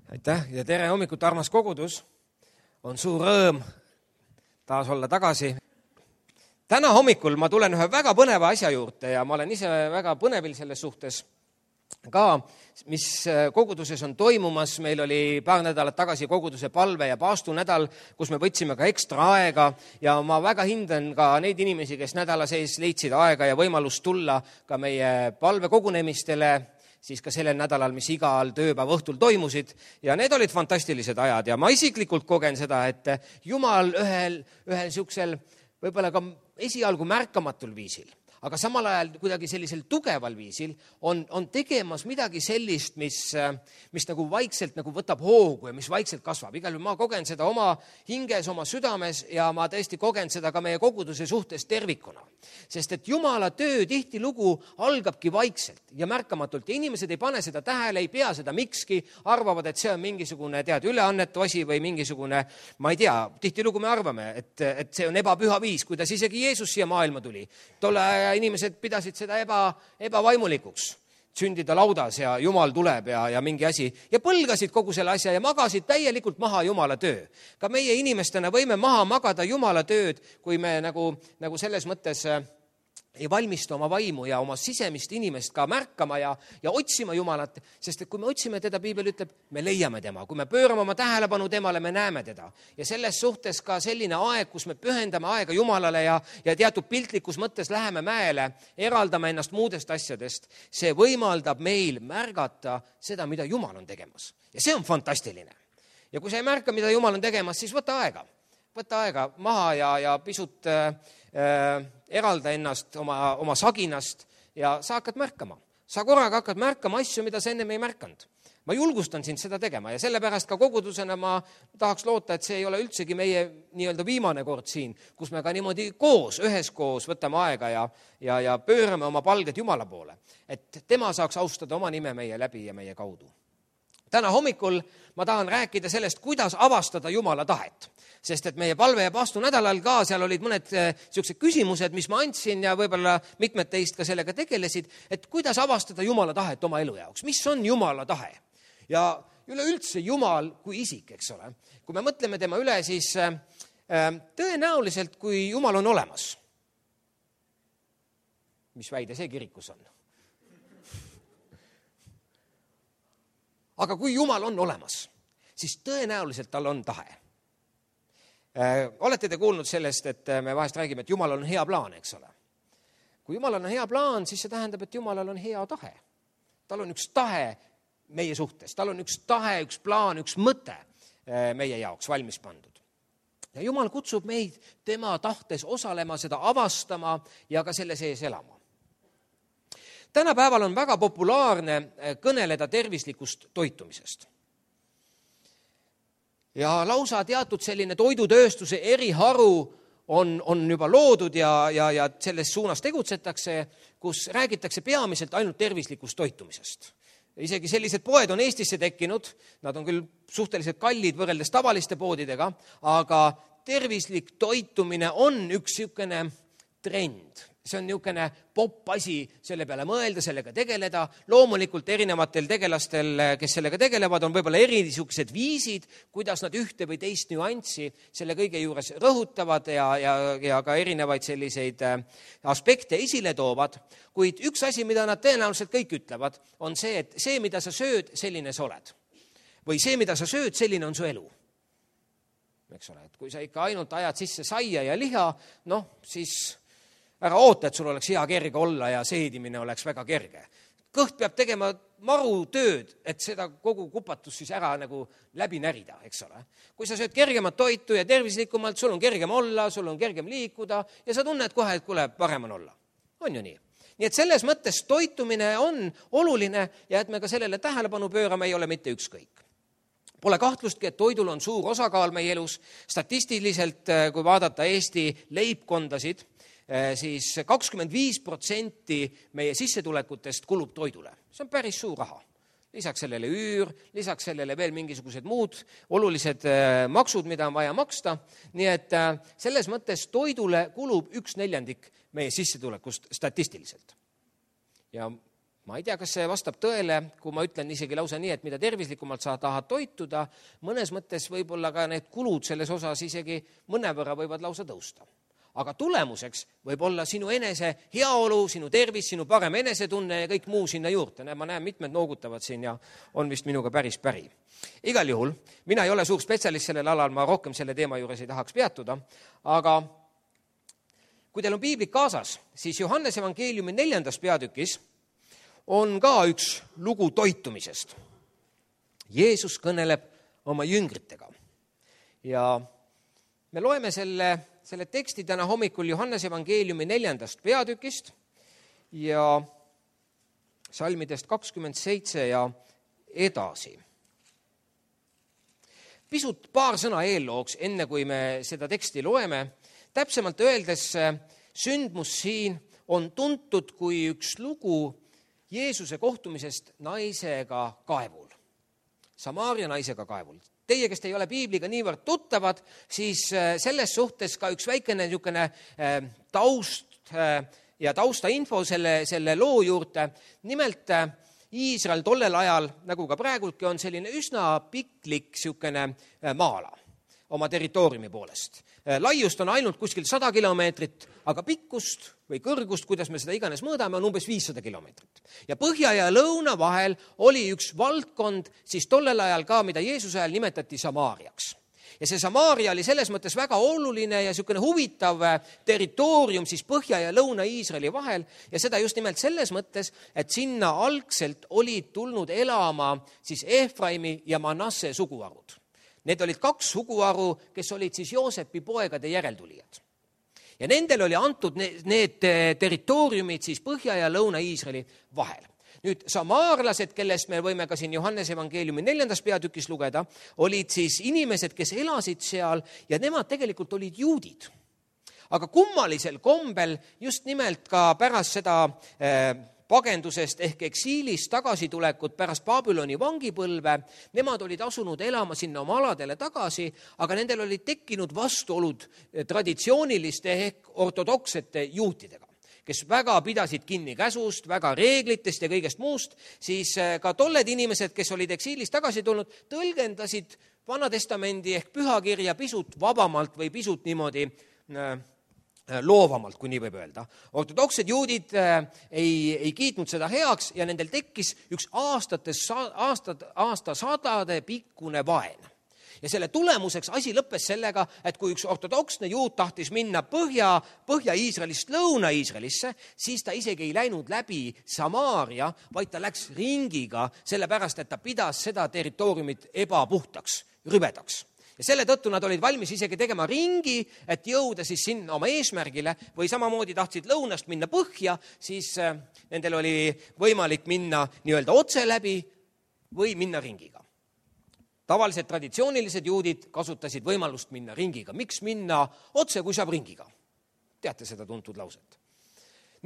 Aitäh ja tere hommikut, armas kogudus. On suur rõõm taas olla tagasi. Täna hommikul ma tulen ühe väga põneva asja juurde ja ma olen ise väga põnevil selles suhtes ka, mis koguduses on toimumas. Meil oli paar nädalat tagasi koguduse palve- ja paastunädal, kus me võtsime ka ekstra aega ja ma väga hindan ka neid inimesi, kes nädala sees leidsid aega ja võimalust tulla ka meie palvekogunemistele, siis ka sellel nädalal, mis igal tööpäeva õhtul toimusid. Ja need olid fantastilised ajad ja ma isiklikult kogen seda, et Jumal ühel niisugusel võib-olla ka esialgu märkamatul viisil, aga samal ajal kuidagi sellisel tugeval viisil on tegemas midagi sellist, mis nagu vaikselt nagu võtab hoogu ja mis vaikselt kasvab. Igal juhul ma kogen seda oma hinges, oma südames ja ma tõesti kogen seda ka meie koguduse suhtes tervikuna. Sest et Jumala töö tihtilugu algabki vaikselt ja märkamatult ja inimesed ei pane seda tähele, ei pea seda mikski, arvavad, et see on mingisugune üleannetu asi või mingisugune, ma ei tea, tihtilugu me arvame, et see on ebapüha viis, kuidas isegi Jeesus siia maailma tuli. Tolle inimesed pidasid seda ebavaimulikuks sündida laudas ja Jumal tuleb ja mingi asi ja põlgasid kogu selle asja ja magasid täielikult maha Jumala töö. Ka meie inimestena võime maha magada Jumala tööd, kui me nagu selles mõttes ei valmista oma vaimu ja oma sisemist inimest ka märkama ja otsima Jumalat, sest et kui me otsime teda, Piibel ütleb, me leiame tema. Kui me pöörame oma tähelepanu temale, me näeme teda. Ja selles suhtes ka selline aeg, kus me pühendame aega Jumalale ja teatud piltlikus mõttes läheme mäele, eraldame ennast muudest asjadest, see võimaldab meil märgata seda, mida Jumal on tegemas. Ja see on fantastiline. Ja kui sa ei märka, mida Jumal on tegemas, siis võta aega maha ja pisut eralda ennast oma saginast ja sa hakkad märkama. Sa korraga hakkad märkama asju, mida sa ennem ei märkanud. Ma julgustan sind seda tegema ja sellepärast ka kogudusena ma tahaks loota, et see ei ole üldsegi meie nii-öelda viimane kord siin, kus me ka niimoodi üheskoos võtame aega ja pöörame oma palged Jumala poole, et tema saaks austada oma nime meie läbi ja meie kaudu. Täna hommikul ma tahan rääkida sellest, kuidas avastada Jumala tahet. Sest et meie palve- ja paastunädalal ka seal olid mõned sellised küsimused, mis ma andsin ja võib-olla mitmed teist ka sellega tegelesid, et kuidas avastada Jumala tahet oma elu jaoks. Mis on Jumala tahe? Ja üleüldse Jumal kui isik, eks ole. Kui me mõtleme tema üle, siis tõenäoliselt, kui Jumal on olemas, mis väide see kirikus on? Aga kui Jumal on olemas, siis tõenäoliselt tal on tahe. Olete te kuulnud sellest, et me vahest räägime, et Jumalal on hea plaan, eks ole? Kui Jumalal on hea plaan, siis see tähendab, et Jumalal on hea tahe. Tal on üks tahe meie suhtes, tal on üks tahe, üks plaan, üks mõte meie jaoks valmis pandud. Ja Jumal kutsub meid tema tahtes osalema, seda avastama ja ka selle sees elama. Tänapäeval on väga populaarne kõneleda tervislikust toitumisest. Ja lausa teatud selline toidutööstuse eriharu on juba loodud ja selles suunas tegutsetakse, kus räägitakse peamiselt ainult tervislikust toitumisest. Isegi sellised poed on Eestisse tekkinud, nad on küll suhteliselt kallid võrreldes tavaliste poodidega, aga tervislik toitumine on üks niisugune trend. See on niisugune popp asi selle peale mõelda, sellega tegeleda. Loomulikult erinevatel tegelastel, kes sellega tegelevad, on võib-olla niisugused viisid, kuidas nad ühte või teist nüanssi selle kõige juures rõhutavad ja ka erinevaid selliseid aspekte esile toovad. Kuid üks asi, mida nad tõenäoliselt kõik ütlevad, on see, et see, mida sa sööd, selline sa oled. Või see, mida sa sööd, selline on su elu. Eks ole, et kui sa ikka ainult ajad sisse saia ja liha, siis ära oota, et sul oleks hea kerge olla ja seedimine oleks väga kerge. Kõht peab tegema maru tööd, et seda kogu kupatus siis ära nagu läbi närida, eks ole. Kui sa sööd kergemat toitu ja tervislikumalt, sul on kergem olla, sul on kergem liikuda ja sa tunned kohe, et kuule, parem on olla. On ju nii? Nii et selles mõttes toitumine on oluline ja et me ka sellele tähelepanu pöörame, ei ole mitte ükskõik. Pole kahtlustki, et toidul on suur osakaal meie elus. Statistiliselt, kui vaadata Eesti leibkondasid, siis 25% meie sissetulekutest kulub toidule. See on päris suur raha. Lisaks sellele üür, lisaks sellele veel mingisugused muud olulised maksud, mida on vaja maksta. Nii et selles mõttes toidule kulub 1/4 meie sissetulekust statistiliselt. Ja ma ei tea, kas see vastab tõele, kui ma ütlen isegi lausa nii, et mida tervislikumalt sa tahad toituda, mõnes mõttes võib-olla ka need kulud selles osas isegi mõnevõrra võivad lausa tõusta. Aga tulemuseks võib olla sinu enese heaolu, sinu tervis, sinu parem enesetunne ja kõik muu sinna juurde. Ma näen, mitmed noogutavad siin ja on vist minuga päri. Igal juhul, mina ei ole suur spetsialist sellel alal, ma rohkem selle teema juures ei tahaks peatuda, aga kui teil on piiblik kaasas, siis Johannes evangeeliumi 4. peatükis on ka üks lugu toitumisest. Jeesus kõneleb oma jüngritega ja me loeme selle teksti täna hommikul Johannes evangeeliumi 4. peatükist ja salmidest 27 ja edasi. Pisut paar sõna eellooks, enne kui me seda teksti loeme. Täpsemalt öeldes sündmus siin on tuntud kui üks lugu Jeesuse kohtumisest naisega kaevul. Samaaria naisega kaevul. Teie, kes te ei ole piibliga niivõrd tuttavad, siis selles suhtes ka üks väikene niisugune taust ja taustainfo selle loo juurde. Nimelt Iisrael tollel ajal, nagu ka praegultki, on selline üsna piklik niisugune maala oma territooriumi poolest. Laiust on ainult kuskil 100 kilomeetrit, aga pikkust või kõrgust, kuidas me seda iganes mõõdame, on umbes 500 kilomeetrit. Ja põhja ja lõuna vahel oli üks valdkond, siis tollel ajal ka, mida Jeesuse ajal nimetati Samaariaks. Ja see Samaaria oli selles mõttes väga oluline ja niisugune huvitav territoorium siis põhja ja lõuna Iisraeli vahel ja seda just nimelt selles mõttes, et sinna algselt olid tulnud elama siis Efraimi ja Manasse suguharud. Need olid 2 suguharu, kes olid siis Joosepi poegade järeltulijad. Ja nendel oli antud need territooriumid siis põhja ja lõuna Iisraeli vahel. Nüüd samaarlased, kellest me võime ka siin Johannes evangeeliumi 4. peatükis lugeda, olid siis inimesed, kes elasid seal ja nemad tegelikult olid juudid. Aga kummalisel kombel just nimelt ka pärast seda pagendusest ehk eksiilist tagasitulekut pärast Babyloni vangipõlve, nemad olid asunud elama sinna oma aladele tagasi, aga nendel olid tekkinud vastuolud traditsiooniliste ehk ortodoksete juutidega, kes väga pidasid kinni käsust, väga reeglitest ja kõigest muust, siis ka tolled inimesed, kes olid eksiilist tagasi tulnud, tõlgendasid Vanatestamendi ehk pühakirja pisut vabamalt või pisut niimoodi loovamalt, kui nii võib öelda. Ortodoksed juudid ei kiitnud seda heaks ja nendel tekkis üks aastasadade pikkune vaen. Ja selle tulemuseks asi lõppes sellega, et kui üks ortodoksne juut tahtis minna Põhja-Iisraelist Lõuna-Iisraelisse, siis ta isegi ei läinud läbi Samaaria, vaid ta läks ringiga, sellepärast, et ta pidas seda territooriumit ebapuhtaks, rüvedaks. Ja selle tõttu nad olid valmis isegi tegema ringi, et jõuda siis sinna oma eesmärgile või samamoodi tahtsid lõunast minna põhja, siis nendel oli võimalik minna nii-öelda otse läbi või minna ringiga. Tavaliselt traditsioonilised juudid kasutasid võimalust minna ringiga. Miks minna otse, kui saab ringiga? Teate seda tuntud lauset.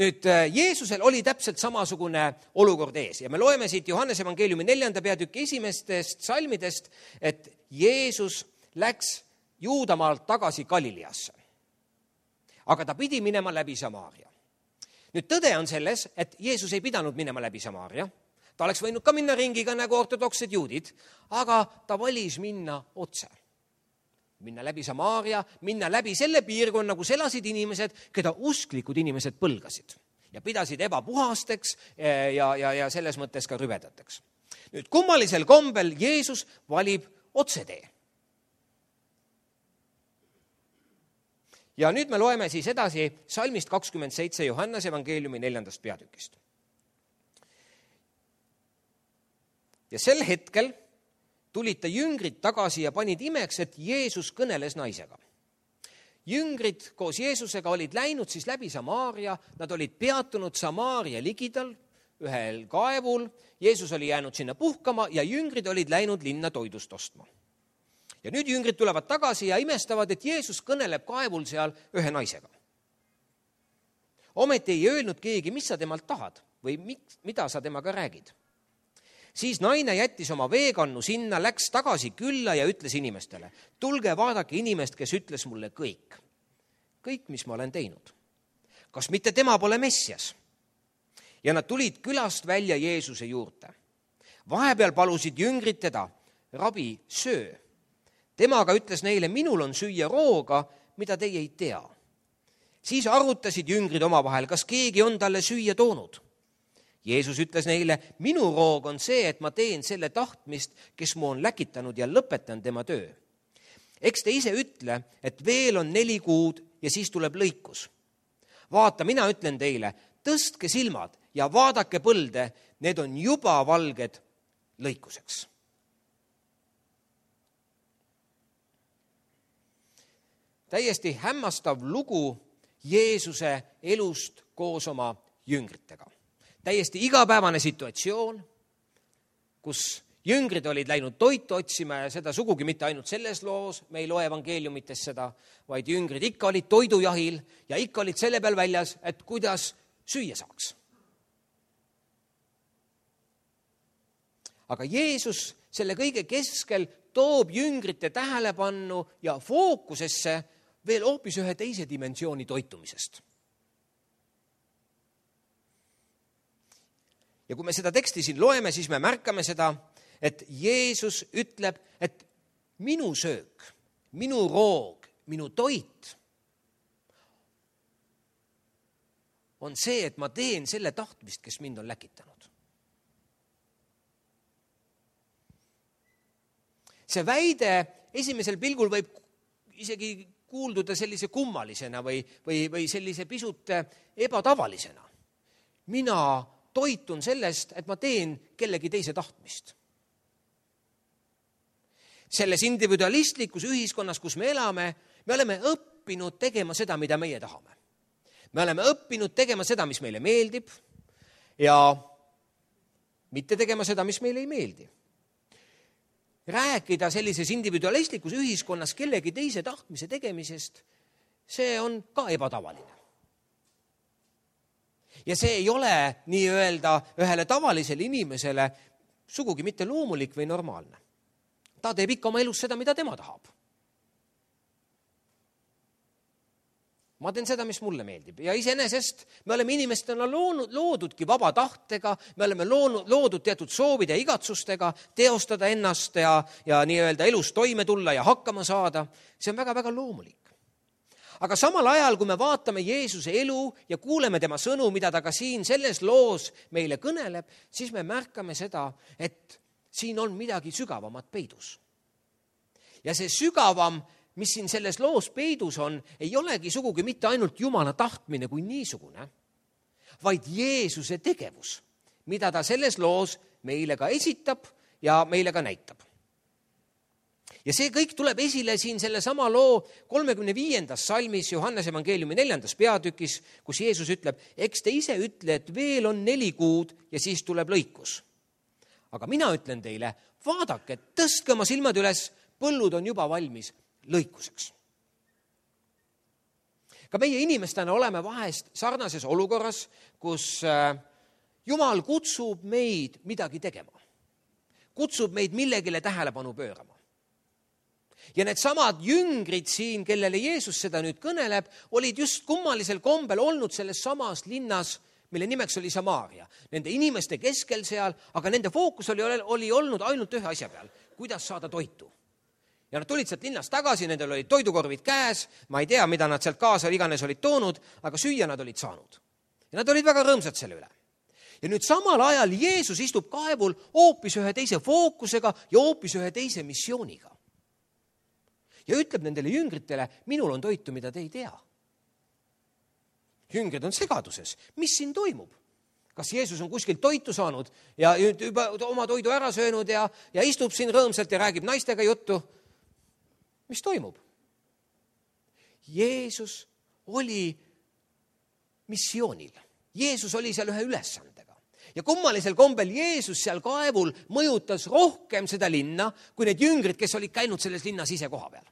Nüüd, Jeesusel oli täpselt samasugune olukord ees ja me loeme siit Johannes evangeeliumi 4. peatüki 1. salmidest, et Jeesus läks Juudamaalt tagasi Galileasse. Aga ta pidi minema läbi Samaaria. Nüüd tõde on selles, et Jeesus ei pidanud minema läbi Samaaria. Ta oleks võinud ka minna ringiga nagu ortodoksed juudid, aga ta valis minna otse. Minna läbi Samaaria, minna läbi selle piirkonna, kus elasid inimesed, keda usklikud inimesed põlgasid ja pidasid ebapuhasteks ja selles mõttes ka rüvedateks. Nüüd kummalisel kombel Jeesus valib otsetee. Ja nüüd me loeme siis edasi salmist 27 Johannes evangeeliumi 4. peatükist. Ja sel hetkel tulid ta jüngrid tagasi ja panid imeks, et Jeesus kõneles naisega. Jüngrid koos Jeesusega olid läinud siis läbi Samaaria, nad olid peatunud Samaaria ligidal ühel kaevul, Jeesus oli jäänud sinna puhkama ja jüngrid olid läinud linna toidust ostma. Ja nüüd jüngrid tulevad tagasi ja imestavad, et Jeesus kõneleb kaevul seal ühe naisega. Ometi ei öelnud keegi, mis sa temalt tahad või mida sa temaga räägid. Siis naine jättis oma veekannu sinna, läks tagasi külla ja ütles inimestele, tulge vaadake inimest, kes ütles mulle kõik, mis ma olen teinud. Kas mitte tema pole Messias? ja nad tulid külast välja Jeesuse juurde. Vahepeal palusid jüngrid teda, rabi, söö. Temaga ütles neile, minul on süüa rooga, mida teie ei tea. Siis arutasid jüngrid omavahel, kas keegi on talle süüa toonud. Jeesus ütles neile, minu roog on see, et ma teen selle tahtmist, kes mu on läkitanud ja lõpetan tema töö. Eks te ise ütle, et veel on 4 kuud ja siis tuleb lõikus. Vaata, mina ütlen teile, tõstke silmad ja vaadake põlde, need on juba valged lõikuseks. Täiesti hämmastav lugu Jeesuse elust koos oma jüngritega. Täiesti igapäevane situatsioon, kus jüngrid olid läinud toitu otsima ja seda sugugi mitte ainult selles loos, me ei loe evangeeliumites seda, vaid jüngrid ikka olid toidujahil ja ikka olid selle peal väljas, et kuidas süüa saaks. Aga Jeesus selle kõige keskel toob jüngrite tähelepannu ja fookusesse veel hoopis ühe teise dimensiooni toitumisest. Ja kui me seda teksti siin loeme, siis me märkame seda, et Jeesus ütleb, et minu söök, minu roog, minu toit on see, et ma teen selle tahtmist, kes mind on läkitanud. See väide esimesel pilgul võib isegi kuulduda sellise kummalisena või sellise pisut ebatavalisena. Mina toitun sellest, et ma teen kellegi teise tahtmist. Selles individualistlikus ühiskonnas, kus me elame, me oleme õppinud tegema seda, mida meie tahame. Me oleme õppinud tegema seda, mis meile meeldib ja mitte tegema seda, mis meile ei meeldi. Rääkida sellises individualistlikus ühiskonnas kellegi teise tahtmise tegemisest, see on ka ebatavaline. Ja see ei ole nii-öelda ühele tavalisele inimesele sugugi mitte loomulik või normaalne. Ta teeb ikka oma elus seda, mida tema tahab. Ma teen seda, mis mulle meeldib. Ja iseenesest me oleme inimestena loodudki vaba tahtega, me oleme loodud teatud soovide ja igatsustega teostada ennast ja nii-öelda elus toime tulla ja hakkama saada. See on väga-väga loomulik. Aga samal ajal, kui me vaatame Jeesuse elu ja kuuleme tema sõnu, mida ta ka siin selles loos meile kõneleb, siis me märkame seda, et siin on midagi sügavamat peidus. Ja see sügavam, mis siin selles loos peidus on, ei olegi sugugi mitte ainult Jumala tahtmine kui niisugune, vaid Jeesuse tegevus, mida ta selles loos meile ka esitab ja meile ka näitab. Ja see kõik tuleb esile siin selle sama loo 35. salmis Johannese evangeeliumi 4. peatükis, kus Jeesus ütleb, eks te ise ütle, et veel on 4 kuud ja siis tuleb lõikus. Aga mina ütlen teile, vaadake, tõstke oma silmad üles, põllud on juba valmis lõikuseks. Ka meie inimestena oleme vahest sarnases olukorras, kus Jumal kutsub meid midagi tegema. Kutsub meid millegile tähelepanu pöörama. Ja need samad jüngrid siin, kellele Jeesus seda nüüd kõneleb, olid just kummalisel kombel olnud selles samas linnas, mille nimeks oli Samaaria. Nende inimeste keskel seal, aga nende fookus oli olnud ainult ühe asja peal, kuidas saada toitu. Ja nad tulid sealt linnast tagasi, nendel olid toidukorvid käes, ma ei tea, mida nad sealt kaasa iganes olid toonud, aga süüa nad olid saanud. Ja nad olid väga rõõmsad selle üle. Ja nüüd samal ajal Jeesus istub kaevul hoopis ühe teise fookusega ja hoopis ühe teise missiooniga. Ja ütleb nendele jüngritele, minul on toitu, mida te ei tea. Jüngrid on segaduses. Mis siin toimub? Kas Jeesus on kuskilt toitu saanud ja juba oma toidu ära söönud ja istub siin rõõmsalt ja räägib naistega juttu? Mis toimub? Jeesus oli missioonil. Jeesus oli seal ühe ülesandega. Ja kummalisel kombel Jeesus seal kaevul mõjutas rohkem seda linna, kui need jüngrid, kes olid käinud selles linnas ise koha peal.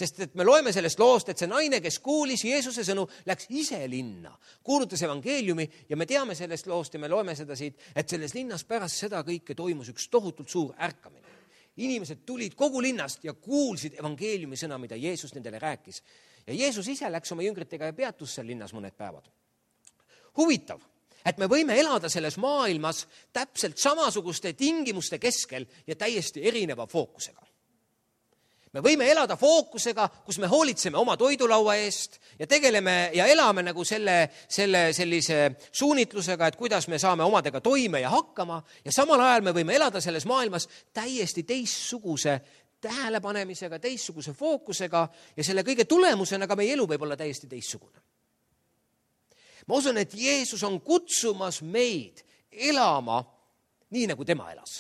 Sest et me loeme sellest loost, et see naine, kes kuulis Jeesuse sõnu, läks ise linna, kuulutas evangeeliumi ja me teame sellest loost ja me loeme seda siit, et selles linnas pärast seda kõike toimus üks tohutult suur ärkamine. Inimesed tulid kogu linnast ja kuulsid evangeeliumi sõna, mida Jeesus nendele rääkis. Ja Jeesus ise läks oma jüngritega ja peatus seal linnas mõned päevad. Huvitav, et me võime elada selles maailmas täpselt samasuguste tingimuste keskel ja täiesti erineva fookusega. Me võime elada fookusega, kus me hoolitseme oma toidulaua eest ja tegeleme ja elame nagu sellise suunitlusega, et kuidas me saame omadega toime ja hakkama, ja samal ajal me võime elada selles maailmas täiesti teistsuguse tähelepanemisega, teistsuguse fookusega ja selle kõige tulemusena ka meie elu võib olla täiesti teistsugune. Ma usun, et Jeesus on kutsumas meid elama nii, nagu tema elas.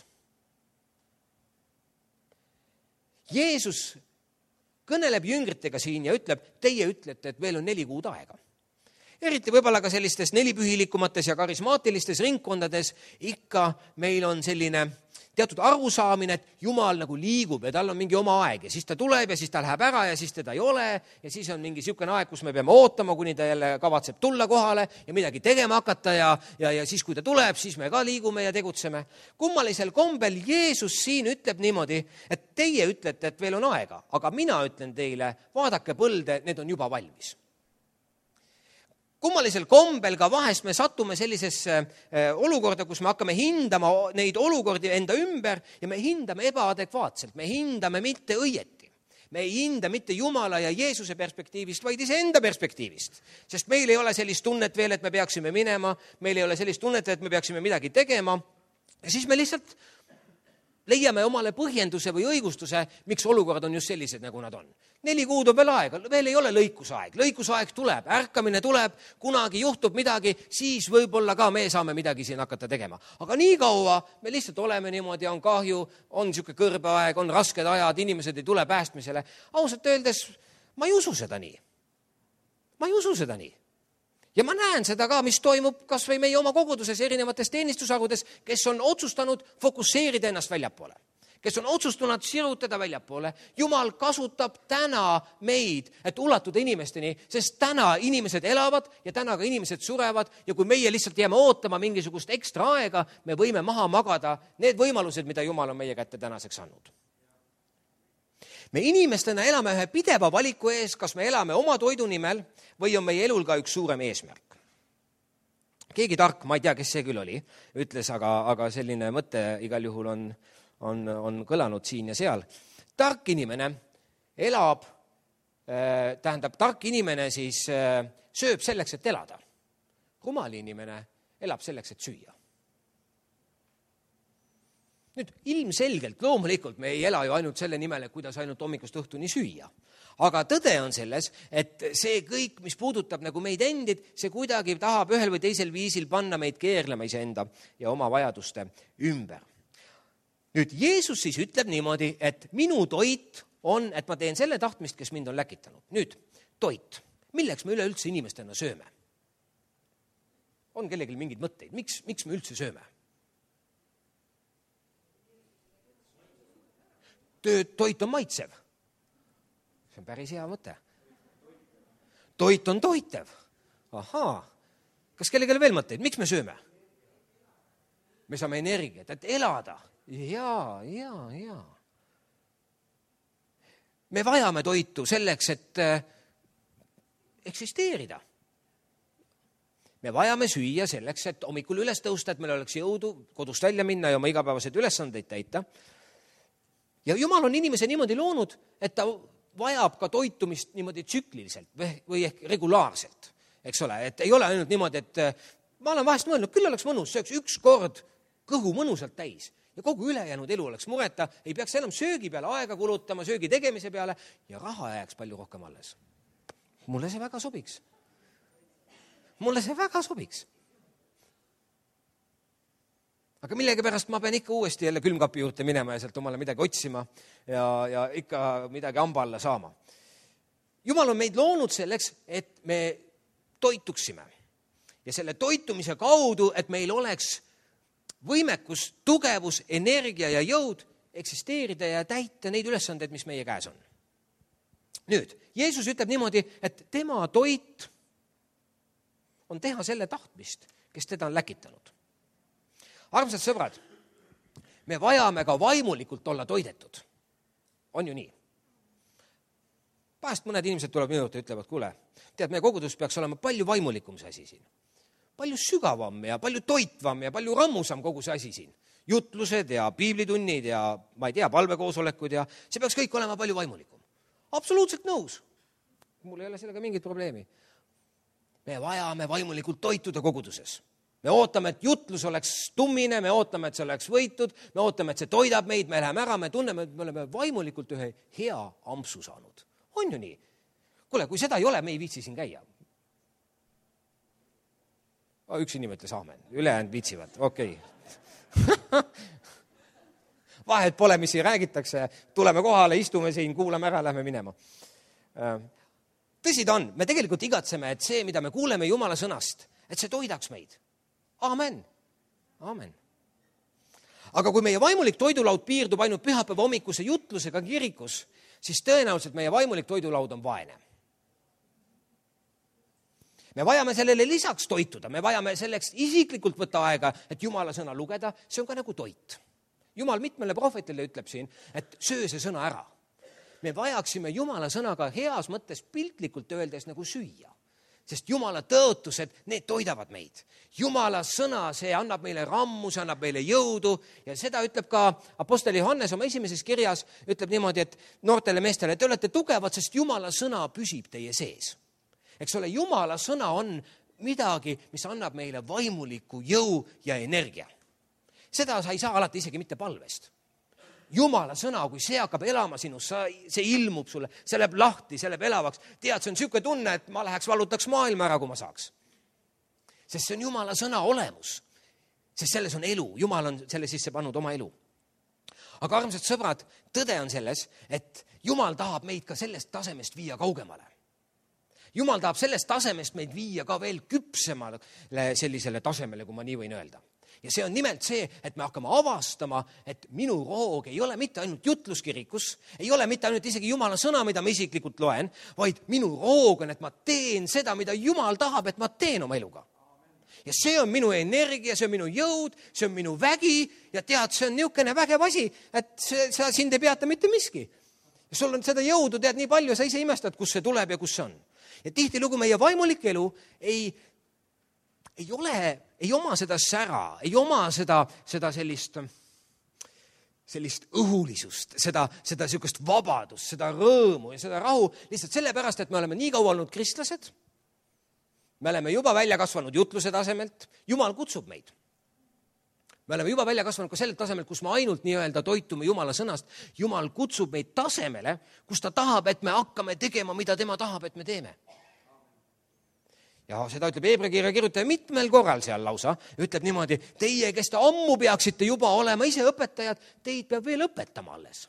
Jeesus kõneleb jüngritega siin ja ütleb, teie ütlete, et veel on 4 kuud aega. Eriti võib-olla ka sellistes nelipühilikumates ja karismaatilistes ringkondades ikka meil on selline teatud arusaamine, et Jumal nagu liigub ja tal on mingi oma aeg ja siis ta tuleb ja siis ta läheb ära ja siis teda ei ole ja siis on mingi niisugune aeg, kus me peame ootama, kuni ta jälle kavatseb tulla kohale ja midagi tegema hakata ja siis, kui ta tuleb, siis me ka liigume ja tegutseme. Kummalisel kombel Jeesus siin ütleb niimoodi, et teie ütlete, et veel on aega, aga mina ütlen teile, vaadake põlde, need on juba valmis. Kummalisel kombel ka vahest me satume sellisesse olukorda, kus me hakkame hindama neid olukordi enda ümber ja me hindame ebaadekvaatselt, me hindame mitte õieti. Me ei hinda mitte Jumala ja Jeesuse perspektiivist, vaid iseenda perspektiivist. Sest meil ei ole sellist tunnet veel, et me peaksime minema, meil ei ole sellist tunnet, et me peaksime midagi tegema ja siis me lihtsalt leiame omale põhjenduse või õigustuse, miks olukorrad on just sellised, nagu nad on. 4 kuud on veel aega, veel ei ole lõikusaeg. Lõikusaeg tuleb, ärkamine tuleb, kunagi juhtub midagi, siis võib-olla ka me saame midagi siin hakata tegema. Aga nii kaua me lihtsalt oleme niimoodi, on kahju, on niisugune kõrbeaeg, on rasked ajad, inimesed ei tule päästmisele. Ausalt öeldes, ma ei usu seda nii. Ma ei usu seda nii. Ja ma näen seda ka, mis toimub kas või meie oma koguduses erinevates teenistusharudes, kes on otsustanud fokusseerida ennast väljapoole, kes on otsustanud sirutada väljapoole. Jumal kasutab täna meid, et ulatuda inimesteni, sest täna inimesed elavad ja täna ka inimesed surevad ja kui meie lihtsalt jääme ootama mingisugust ekstra aega, me võime maha magada need võimalused, mida Jumal on meie kätte tänaseks andnud. Me inimestena elame ühe pideva valiku ees, kas me elame oma toidu nimel või on meie elul ka üks suurem eesmärk. Keegi tark, ma ei tea, kes see küll oli, ütles, aga selline mõte igal juhul on kõlanud siin ja seal. Tark inimene elab, tark inimene siis sööb selleks, et elada. Rumal inimene elab selleks, et süüa. Nüüd ilmselgelt, loomulikult me ei ela ju ainult selle nimel, kuidas ainult hommikust õhtuni süüa. Aga tõde on selles, et see kõik, mis puudutab nagu meid endid, see kuidagi tahab ühel või teisel viisil panna meid keerlema iseenda ja oma vajaduste ümber. Nüüd Jeesus siis ütleb niimoodi, et minu toit on, et ma teen selle tahtmist, kes mind on läkitanud. Nüüd toit. Milleks me üleüldse inimestena sööme? On kellelgi mingid mõtteid? Miks me üldse sööme? Toit on maitsev. See on päris hea mõte. Toit on toitev. Ahaa. Kas kellelgi veel mõtteid? Miks me sööme? Me saame energiat, et elada. Jaa. Me vajame toitu selleks, et eksisteerida. Me vajame süüa selleks, et hommikul üles tõusta, et meil oleks jõudu kodust välja minna ja oma igapäevased ülesandeid täita. Ja Jumal on inimese niimoodi loonud, et ta vajab ka toitumist niimoodi tsükliliselt või ehk regulaarselt, eks ole, et ei ole ainult niimoodi, et ma olen vahest mõelnud, küll oleks mõnus, sööks üks kord kõhu mõnusalt täis ja kogu ülejäänud elu oleks mureta, ei peaks enam söögi peale aega kulutama, söögi tegemise peale ja raha jääks palju rohkem alles. Mulle see väga sobiks. Aga millegipärast ma pean ikka uuesti jälle külmkapi juurde minema ja sealt omale midagi otsima ja ikka midagi hamba alla saama. Jumal on meid loonud selleks, et me toituksime. Ja selle toitumise kaudu, et meil oleks võimekus, tugevus, energia ja jõud eksisteerida ja täita neid ülesandeid, mis meie käes on. Nüüd, Jeesus ütleb niimoodi, et tema toit on teha selle tahtmist, kes teda on läkitanud. Armsad sõbrad, me vajame ka vaimulikult olla toidetud. On ju nii? Vahest mõned inimesed tuleb minu juurde ja ütlevad, kuule, tead, meie kogudus peaks olema palju vaimulikum see asi siin. palju sügavam ja palju toitvam ja palju rammusam kogu see asi siin. Jutlused ja piiblitunnid ja ma ei tea, palvekoosolekud ja see peaks kõik olema palju vaimulikum. Absoluutselt nõus. Mul ei ole sellega mingit probleemi. Me vajame vaimulikult toituda koguduses. Me ootame, et jutlus oleks tummine, me ootame, et see oleks võitud, me ootame, et see toidab meid, me läheme ära, me tunneme, et me oleme vaimulikult ühe hea ampsu saanud. On ju nii? Kuule, kui seda ei ole, me ei viitsi siin käia. Üks inimene ütles aamen, ülejäänud viitsivad, okei. Vahet pole, mis siin räägitakse, tuleme kohale, istume siin, kuulame ära, lähme minema. Tõsi ta on, me tegelikult igatseme, et see, mida me kuuleme Jumala sõnast, et see toidaks meid. Aamen. Aamen. Aga kui meie vaimulik toidulaud piirdub ainult pühapäeva hommikuse jutlusega kirikus, siis tõenäoliselt meie vaimulik toidulaud on vaene. Me vajame sellele lisaks toituda, me vajame selleks isiklikult võtta aega, et Jumala sõna lugeda, see on ka nagu toit. Jumal mitmele prohvetile ütleb siin, et söö see sõna ära. Me vajaksime Jumala sõnaga heas mõttes piltlikult öeldes nagu süüa, sest Jumala tõotused, need toidavad meid. Jumala sõna, see annab meile rammu, see annab meile jõudu ja seda ütleb ka apostel Johannes oma esimeses kirjas, ütleb niimoodi, et noortele meestele, te olete tugevad, sest Jumala sõna püsib teie sees. Eks ole, Jumala sõna on midagi, mis annab meile vaimuliku jõu ja energia. Seda sa ei saa alati isegi mitte palvest. Jumala sõna, kui see hakkab elama sinus, see ilmub sulle, see läheb lahti, see läheb elavaks. Tead, see on niisugune tunne, et ma läheks valutaks maailma ära, kui ma saaks. Sest see on Jumala sõna olemus. Sest selles on elu. Jumal on selle sisse pannud oma elu. Aga armsad sõbrad, tõde on selles, et Jumal tahab meid ka sellest tasemest viia kaugemale. Jumal tahab sellest tasemest meid viia ka veel küpsemale sellisele tasemele, kui ma nii võin öelda. Ja see on nimelt see, et me hakkame avastama, et minu roog ei ole mitte ainult jutluskirikus, ei ole mitte ainult isegi Jumala sõna, mida ma isiklikult loen, vaid minu roog on, et ma teen seda, mida Jumal tahab, et ma teen oma eluga. Ja see on minu energia, see on minu jõud, see on minu vägi ja tead, see on niisugune vägev asi, et sa sind ei peata mitte miski. Ja sul on seda jõudu, tead nii palju, sa ise imestad, kus see tuleb ja kus see on. Ja tihtilugu meie vaimulik elu ei oma seda sära, ei oma seda sellist õhulisust, seda niisugust vabadust, seda rõõmu ja seda rahu, lihtsalt sellepärast, et me oleme nii kaua olnud kristlased, me oleme juba välja kasvanud jutluse tasemelt, Jumal kutsub meid. Me oleme juba välja kasvanud ka sellelt tasemelt, kus me ainult nii-öelda toitume Jumala sõnast. Jumal kutsub meid tasemele, kus ta tahab, et me hakkame tegema, mida tema tahab, et me teeme. Ja seda ütleb Heebrea kirja kirjutaja mitmel korral seal lausa. Ütleb niimoodi, teie, kes te ammu peaksite juba olema ise õpetajad, teid peab veel õpetama alles.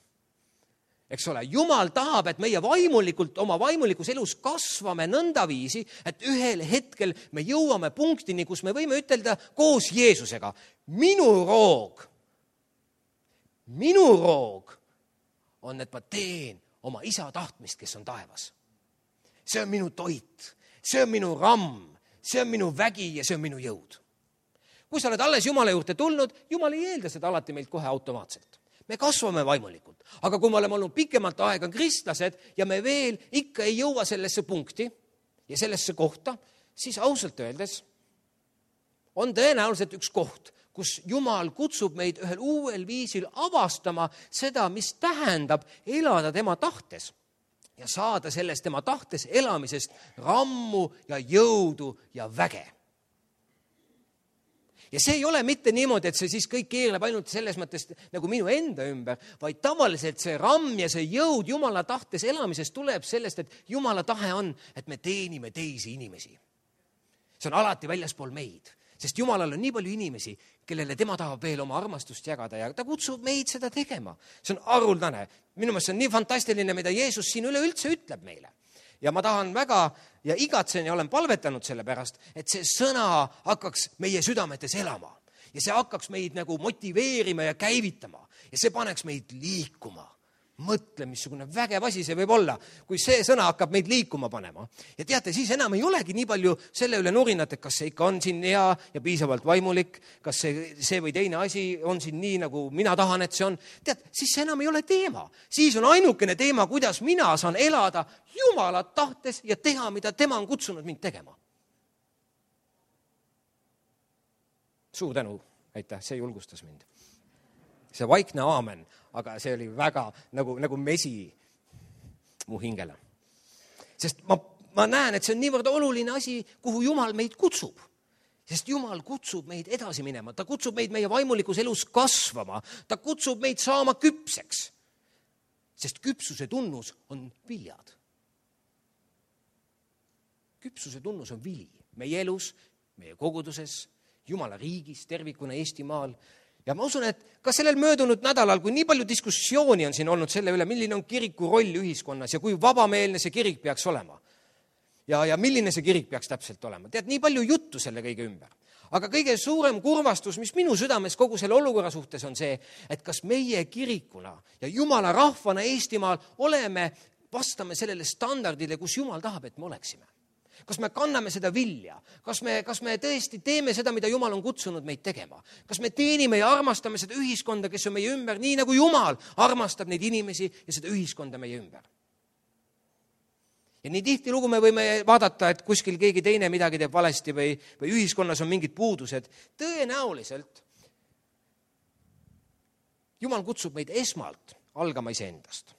Eks ole, Jumal tahab, et meie vaimulikult, oma vaimulikus elus kasvame nõnda viisi, et ühel hetkel me jõuame punktini, kus me võime ütelda koos Jeesusega, minu roog on, et ma teen oma isa tahtmist, kes on taevas. See on minu toit, see on minu ramm, see on minu vägi ja see on minu jõud. Kui sa oled alles Jumala juurde tulnud, Jumal ei eelda seda alati meilt kohe automaatselt. Me kasvame vaimulikult, aga kui me oleme olnud pikemalt aega kristlased ja me veel ikka ei jõua sellesse punkti ja sellesse kohta, siis ausalt öeldes on tõenäoliselt üks koht, kus Jumal kutsub meid ühel uuel viisil avastama seda, mis tähendab elada tema tahtes ja saada sellest tema tahtes elamisest rammu ja jõudu ja väge. Ja see ei ole mitte niimoodi, et see siis kõik keerleb ainult selles mõttes nagu minu enda ümber, vaid tavaliselt see ramm ja see jõud Jumala tahtes elamisest tuleb sellest, et Jumala tahe on, et me teenime teisi inimesi. See on alati väljaspool meid, sest Jumalal on nii palju inimesi, kellele tema tahab veel oma armastust jagada ja ta kutsub meid seda tegema. See on haruldane. Minu meelest see on nii fantastiline, mida Jeesus siin üleüldse ütleb meile. Ja ma tahan väga ja igatsen ja olen palvetanud selle pärast, et see sõna hakkaks meie südametes elama ja see hakkaks meid nagu motiveerima ja käivitama ja see paneks meid liikuma. Mõtle, missugune vägev asi see võib olla, kui see sõna hakkab meid liikuma panema. Ja teate, siis enam ei olegi nii palju selle üle nurinat, et kas see ikka on siin hea ja piisavalt vaimulik, kas see või teine asi on siin nii, nagu mina tahan, et see on. Tead, siis see enam ei ole teema. Siis on ainukene teema, kuidas mina saan elada Jumala tahtes ja teha, mida tema on kutsunud mind tegema. Suur tänu, aitäh, see julgustas mind. See vaikne aamen, aga see oli väga nagu mesi mu hingele. Sest ma näen, et see on niivõrd oluline asi, kuhu Jumal meid kutsub. Sest Jumal kutsub meid edasi minema, ta kutsub meid meie vaimulikus elus kasvama, ta kutsub meid saama küpseks. Sest küpsuse tunnus on viljad. Küpsuse tunnus on vili meie elus, meie koguduses, Jumala riigis, tervikuna Eestimaal. Ja ma usun, et ka sellel möödunud nädalal, kui nii palju diskussiooni on siin olnud selle üle, milline on kiriku roll ühiskonnas ja kui vabameelne see kirik peaks olema. Ja milline see kirik peaks täpselt olema. Tead, nii palju juttu selle kõige ümber. Aga kõige suurem kurvastus, mis minu südames kogu selle olukorra suhtes on see, et kas meie kirikuna ja Jumala rahvana Eestimaal vastame sellele standardile, kus Jumal tahab, et me oleksime. Kas me kanname seda vilja? Kas me tõesti teeme seda, mida Jumal on kutsunud meid tegema? Kas me teenime ja armastame seda ühiskonda, kes on meie ümber, nii nagu Jumal armastab neid inimesi ja seda ühiskonda meie ümber? Ja nii tihtilugu me võime vaadata, et kuskil keegi teine midagi teeb valesti või ühiskonnas on mingid puudused. Tõenäoliselt Jumal kutsub meid esmalt algama iseendast.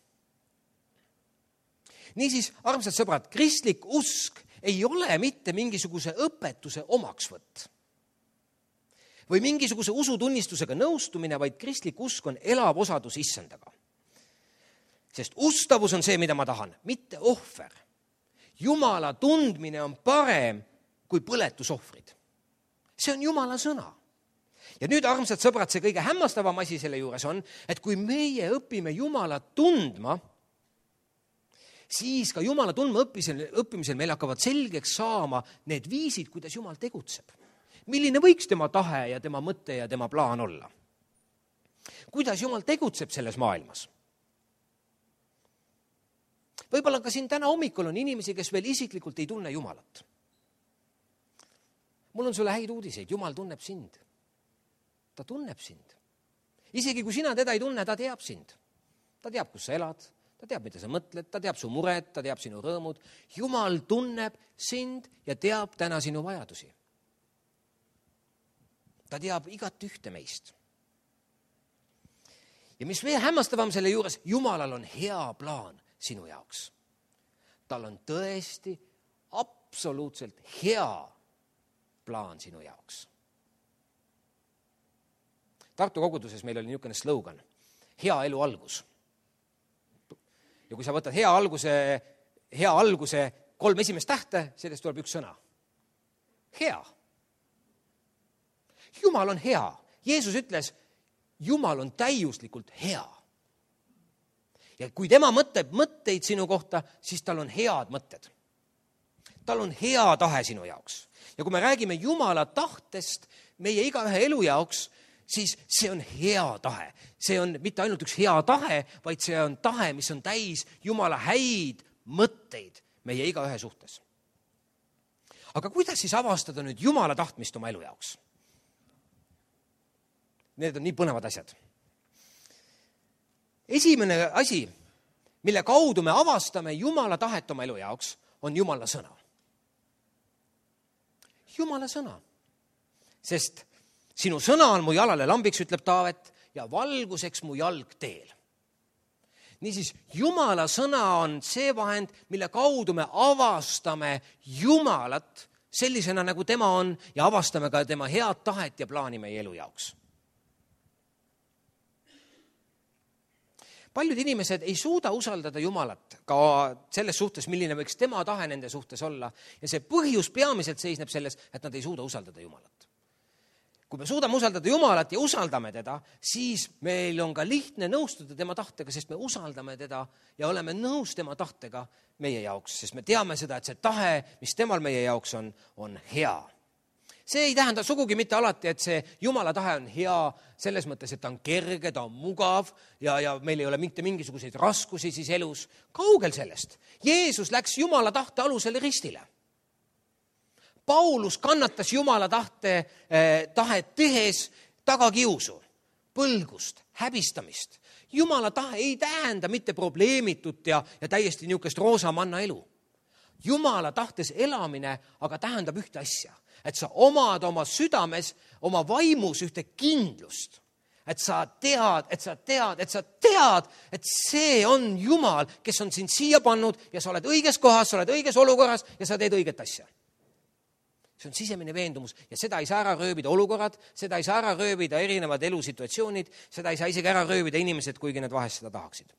Niisiis, armsad sõbrad, kristlik usk ei ole mitte mingisuguse õpetuse omaksvõtt või mingisuguse usutunnistusega nõustumine, vaid kristlik usk on elav osadus issandaga. Sest ustavus on see, mida ma tahan, mitte ohver. Jumala tundmine on parem kui põletusohvrid. See on Jumala sõna. Ja nüüd, armsad sõbrad, see kõige hämmastavam asi selle juures on, et kui meie õpime Jumala tundma, siis ka Jumala tundma õppimisel meil hakkavad selgeks saama need viisid, kuidas Jumal tegutseb. Milline võiks tema tahe ja tema mõte ja tema plaan olla? Kuidas Jumal tegutseb selles maailmas? Võib-olla ka siin täna hommikul on inimesi, kes veel isiklikult ei tunne Jumalat. Mul on sulle häid uudiseid, Jumal tunneb sind. Ta tunneb sind. Isegi kui sina teda ei tunne, ta teab sind. Ta teab, kus sa elad. Ta teab, mida sa mõtled, ta teab su mured, ta teab sinu rõõmud. Jumal tunneb sind ja teab täna sinu vajadusi. Ta teab igat ühte meist. Ja mis veel hämmastavam selle juures, Jumalal on hea plaan sinu jaoks. Tal on tõesti absoluutselt hea plaan sinu jaoks. Tartu koguduses meil oli niisugune slogan, hea elu algus. Ja kui sa võtad hea alguse 3 esimest tähte, sellest tuleb üks sõna. Hea. Jumal on hea. Jeesus ütles, Jumal on täiuslikult hea. Ja kui tema mõtleb mõtteid sinu kohta, siis tal on head mõtted. Tal on hea tahe sinu jaoks. Ja kui me räägime Jumala tahtest meie igaühe elu jaoks, siis see on hea tahe. See on mitte ainult üks hea tahe, vaid see on tahe, mis on täis Jumala häid mõtteid meie igaühe suhtes. Aga kuidas siis avastada nüüd Jumala tahtmist oma elu jaoks? Need on nii põnevad asjad. Esimene asi, mille kaudu me avastame Jumala tahet oma elu jaoks, on Jumala sõna. Jumala sõna. Sest sinu sõna on mu jalale lambiks, ütleb Taavet, ja valguseks mu jalg teel. Niisiis, Jumala sõna on see vahend, mille kaudu me avastame Jumalat sellisena, nagu tema on, ja avastame ka tema head tahet ja plaani meie elu jaoks. Paljud inimesed ei suuda usaldada Jumalat ka selles suhtes, milline võiks tema tahe nende suhtes olla. Ja see põhjus peamiselt seisneb selles, et nad ei suuda usaldada Jumalat. Kui me suudame usaldada Jumalat ja usaldame teda, siis meil on ka lihtne nõustuda tema tahtega, sest me usaldame teda ja oleme nõus tema tahtega meie jaoks, sest me teame seda, et see tahe, mis temal meie jaoks on hea. See ei tähenda sugugi mitte alati, et see Jumala tahe on hea selles mõttes, et ta on kerge, ta on mugav ja meil ei ole mitte mingisuguseid raskusi siis elus. Kaugel sellest. Jeesus läks Jumala tahte alusel ristile. Paulus kannatas Jumala tahet tehes tagakiusu, põlgust, häbistamist. Jumala tahe ei tähenda mitte probleemitut ja täiesti niisugust roosamanna elu. Jumala tahtes elamine aga tähendab ühte asja, et sa omad oma südames, oma vaimus ühte kindlust. Et sa tead, et see on Jumal, kes on sind siia pannud ja sa oled õiges kohas, sa oled õiges olukorras ja sa teed õiget asja. See on sisemine veendumus ja seda ei saa ära rööbida olukorrad, seda ei saa ära rööbida erinevad elusituatsioonid, seda ei saa isegi ära rööbida inimesed, kuigi need vahest seda tahaksid.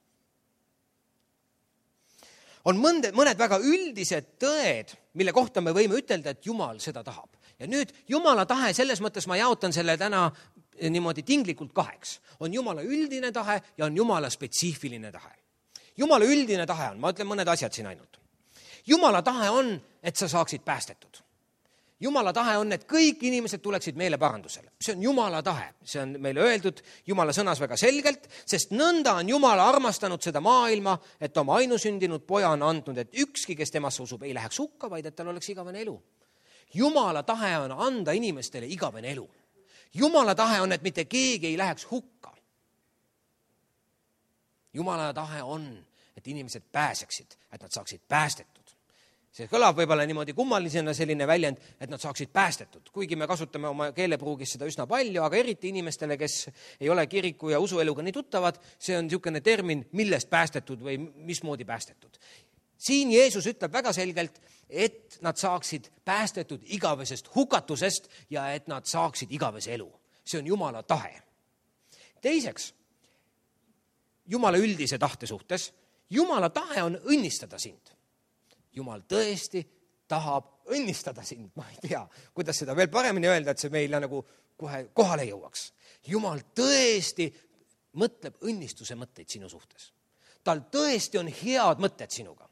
On mõned väga üldised tõed, mille kohta me võime ütelda, et Jumal seda tahab. Ja nüüd Jumala tahe, selles mõttes ma jaotan selle täna niimoodi tinglikult kaheks. On Jumala üldine tahe ja on Jumala spetsiifiline tahe. Jumala üldine tahe on, ma ütlen mõned asjad siin ainult. Jumala tahe on, et sa saaksid päästetud. Jumala tahe on, et kõik inimesed tuleksid meele parandusele. See on Jumala tahe. See on meile öeldud Jumala sõnas väga selgelt, sest nõnda on Jumala armastanud seda maailma, et oma ainusündinud poja on andnud, et ükski, kes temasse usub, ei läheks hukka, vaid et tal oleks igavene elu. Jumala tahe on anda inimestele igavene elu. Jumala tahe on, et mitte keegi ei läheks hukka. Jumala tahe on, et inimesed pääseksid, et nad saaksid päästetud. See kõlab võib-olla niimoodi kummalisena selline väljend, et nad saaksid päästetud. Kuigi me kasutame oma keelepruugis seda üsna palju, aga eriti inimestele, kes ei ole kiriku ja usueluga nii tuttavad, see on niisugune termin, millest päästetud või mismoodi päästetud. Siin Jeesus ütleb väga selgelt, et nad saaksid päästetud igavesest hukatusest ja et nad saaksid igavese elu. See on Jumala tahe. Teiseks, Jumala üldise tahte suhtes, Jumala tahe on õnnistada sind. Jumal tõesti tahab õnnistada sind. Ma ei tea, kuidas seda veel paremini öelda, et see meile nagu kohe kohale jõuaks. Jumal tõesti mõtleb õnnistuse mõtteid sinu suhtes. Tal tõesti on head mõtted sinuga.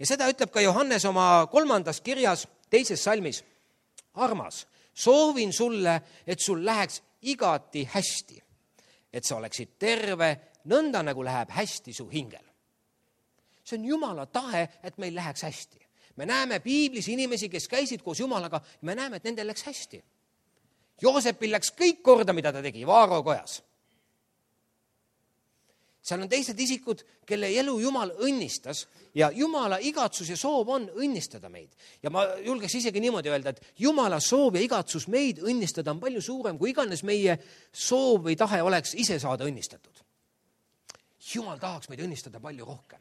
Ja seda ütleb ka Johannes oma 3. kirjas 2. salmis. Armas, soovin sulle, et sul läheks igati hästi, et sa oleksid terve, nõnda nagu läheb hästi su hingel. See on Jumala tahe, et meil läheks hästi. Me näeme piiblis inimesi, kes käisid koos Jumalaga, ja me näeme, et nendel läks hästi. Joosepil läks kõik korda, mida ta tegi Vaaro kojas. Seal on teised isikud, kelle elu Jumal õnnistas ja Jumala igatsus ja soov on õnnistada meid. Ja ma julgeks isegi niimoodi öelda, et Jumala soov ja igatsus meid õnnistada on palju suurem, kui iganes meie soov või tahe oleks ise saada õnnistatud. Jumal tahaks meid õnnistada palju rohkem.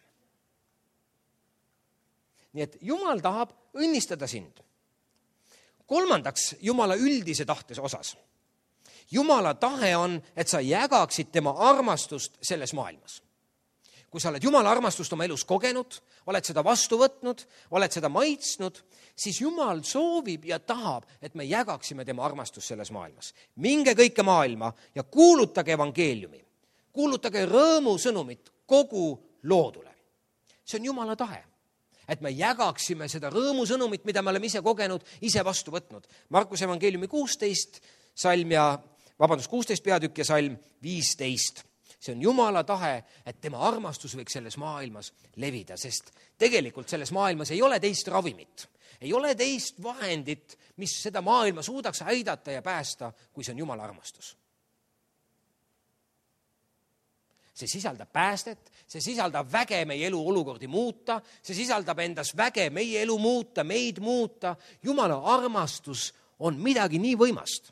Nii et Jumal tahab õnnistada sind. Kolmandaks, Jumala üldise tahtes osas. Jumala tahe on, et sa jägaksid tema armastust selles maailmas. Kui sa oled Jumala armastust oma elus kogenud, oled seda vastu võtnud, oled seda maitsnud, siis Jumal soovib ja tahab, et me jägaksime tema armastust selles maailmas. Minge kõike maailma ja kuulutage evangeeliumi. Kuulutage rõõmu sõnumit kogu loodule. See on Jumala tahe. Et me jägaksime seda rõõmu sõnumit, mida me oleme ise kogenud, ise vastu võtnud. Markuse evangeeliumi 16 peatükk ja salm 15. See on Jumala tahe, et tema armastus võiks selles maailmas levida, sest tegelikult selles maailmas ei ole teist ravimit. Ei ole teist vahendit, mis seda maailma suudaks aidata ja päästa, kui see on Jumala armastus. See sisaldab päästet, see sisaldab väge meie elu olukordi muuta, see sisaldab endas väge meie elu muuta, meid muuta. Jumala armastus on midagi nii võimast,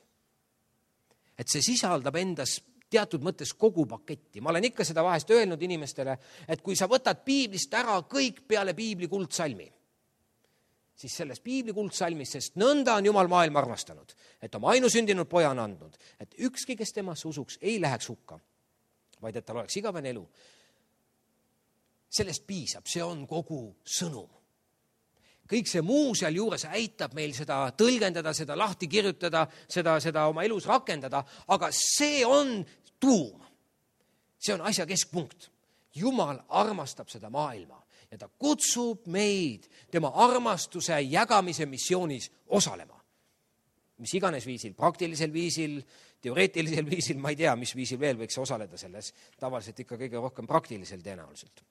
et see sisaldab endas teatud mõttes kogu paketti. Ma olen ikka seda vahest öelnud inimestele, et kui sa võtad piiblist ära kõik peale piibli kuldsalmi, siis selles piibli kuldsalmis, sest nõnda on Jumal maailma armastanud, et oma ainusündinud poja on andnud, et ükski, kes temasse usuks, ei läheks hukka, vaid et tal oleks igavene elu. Sellest piisab, see on kogu sõnum. Kõik see muu seal juures aitab meil seda tõlgendada, seda lahti kirjutada, seda oma elus rakendada, aga see on tuum. See on asja keskpunkt. Jumal armastab seda maailma ja ta kutsub meid tema armastuse jagamise missioonis osalema. Mis iganes viisil, praktilisel viisil, teoreetilisel viisil, ma ei tea, mis viisil veel võiks osaleda selles, tavaliselt ikka kõige rohkem praktilisel tõenäoliselt.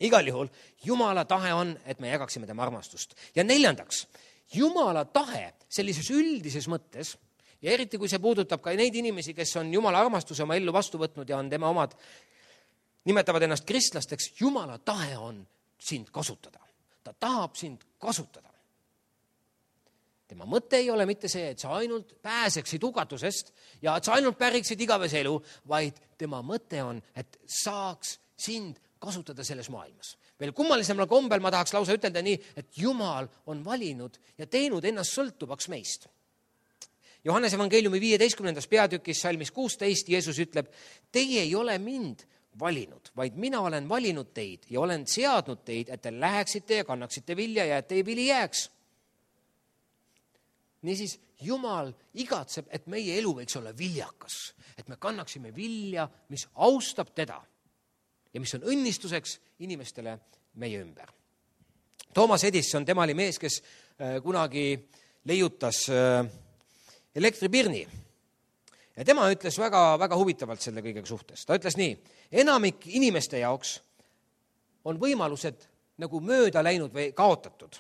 Igal juhul, Jumala tahe on, et me jagaksime tema armastust. Ja neljandaks, Jumala tahe sellises üldises mõttes, ja eriti kui see puudutab ka neid inimesi, kes on Jumala armastuse oma ellu vastu võtnud ja on tema omad, nimetavad ennast kristlasteks, Jumala tahe on sind kasutada. ta tahab sind kasutada. Tema mõte ei ole mitte see, et sa ainult pääseksid hukatusest ja et sa ainult päriksid igavese elu, vaid tema mõte on, et saaks sind kasutada selles maailmas. Veel kummalisemal kombel ma tahaks lausa ütelda nii, et Jumal on valinud ja teinud ennast sõltuvaks meist. Johannese evangeeliumi 15. peatükis salmis 16 Jeesus ütleb, teie ei ole mind valinud, vaid mina olen valinud teid ja olen seadnud teid, et te läheksite ja kannaksite vilja ja et teie vili jääks. Niisiis, Jumal igatseb, et meie elu võiks olla viljakas, et me kannaksime vilja, mis austab teda ja mis on õnnistuseks inimestele meie ümber. Thomas Edison, tema oli mees, kes kunagi leiutas elektripirni. Ja tema ütles väga huvitavalt selle kõigega suhtes. Ta ütles nii, enamik inimeste jaoks on võimalused nagu mööda läinud või kaotatud,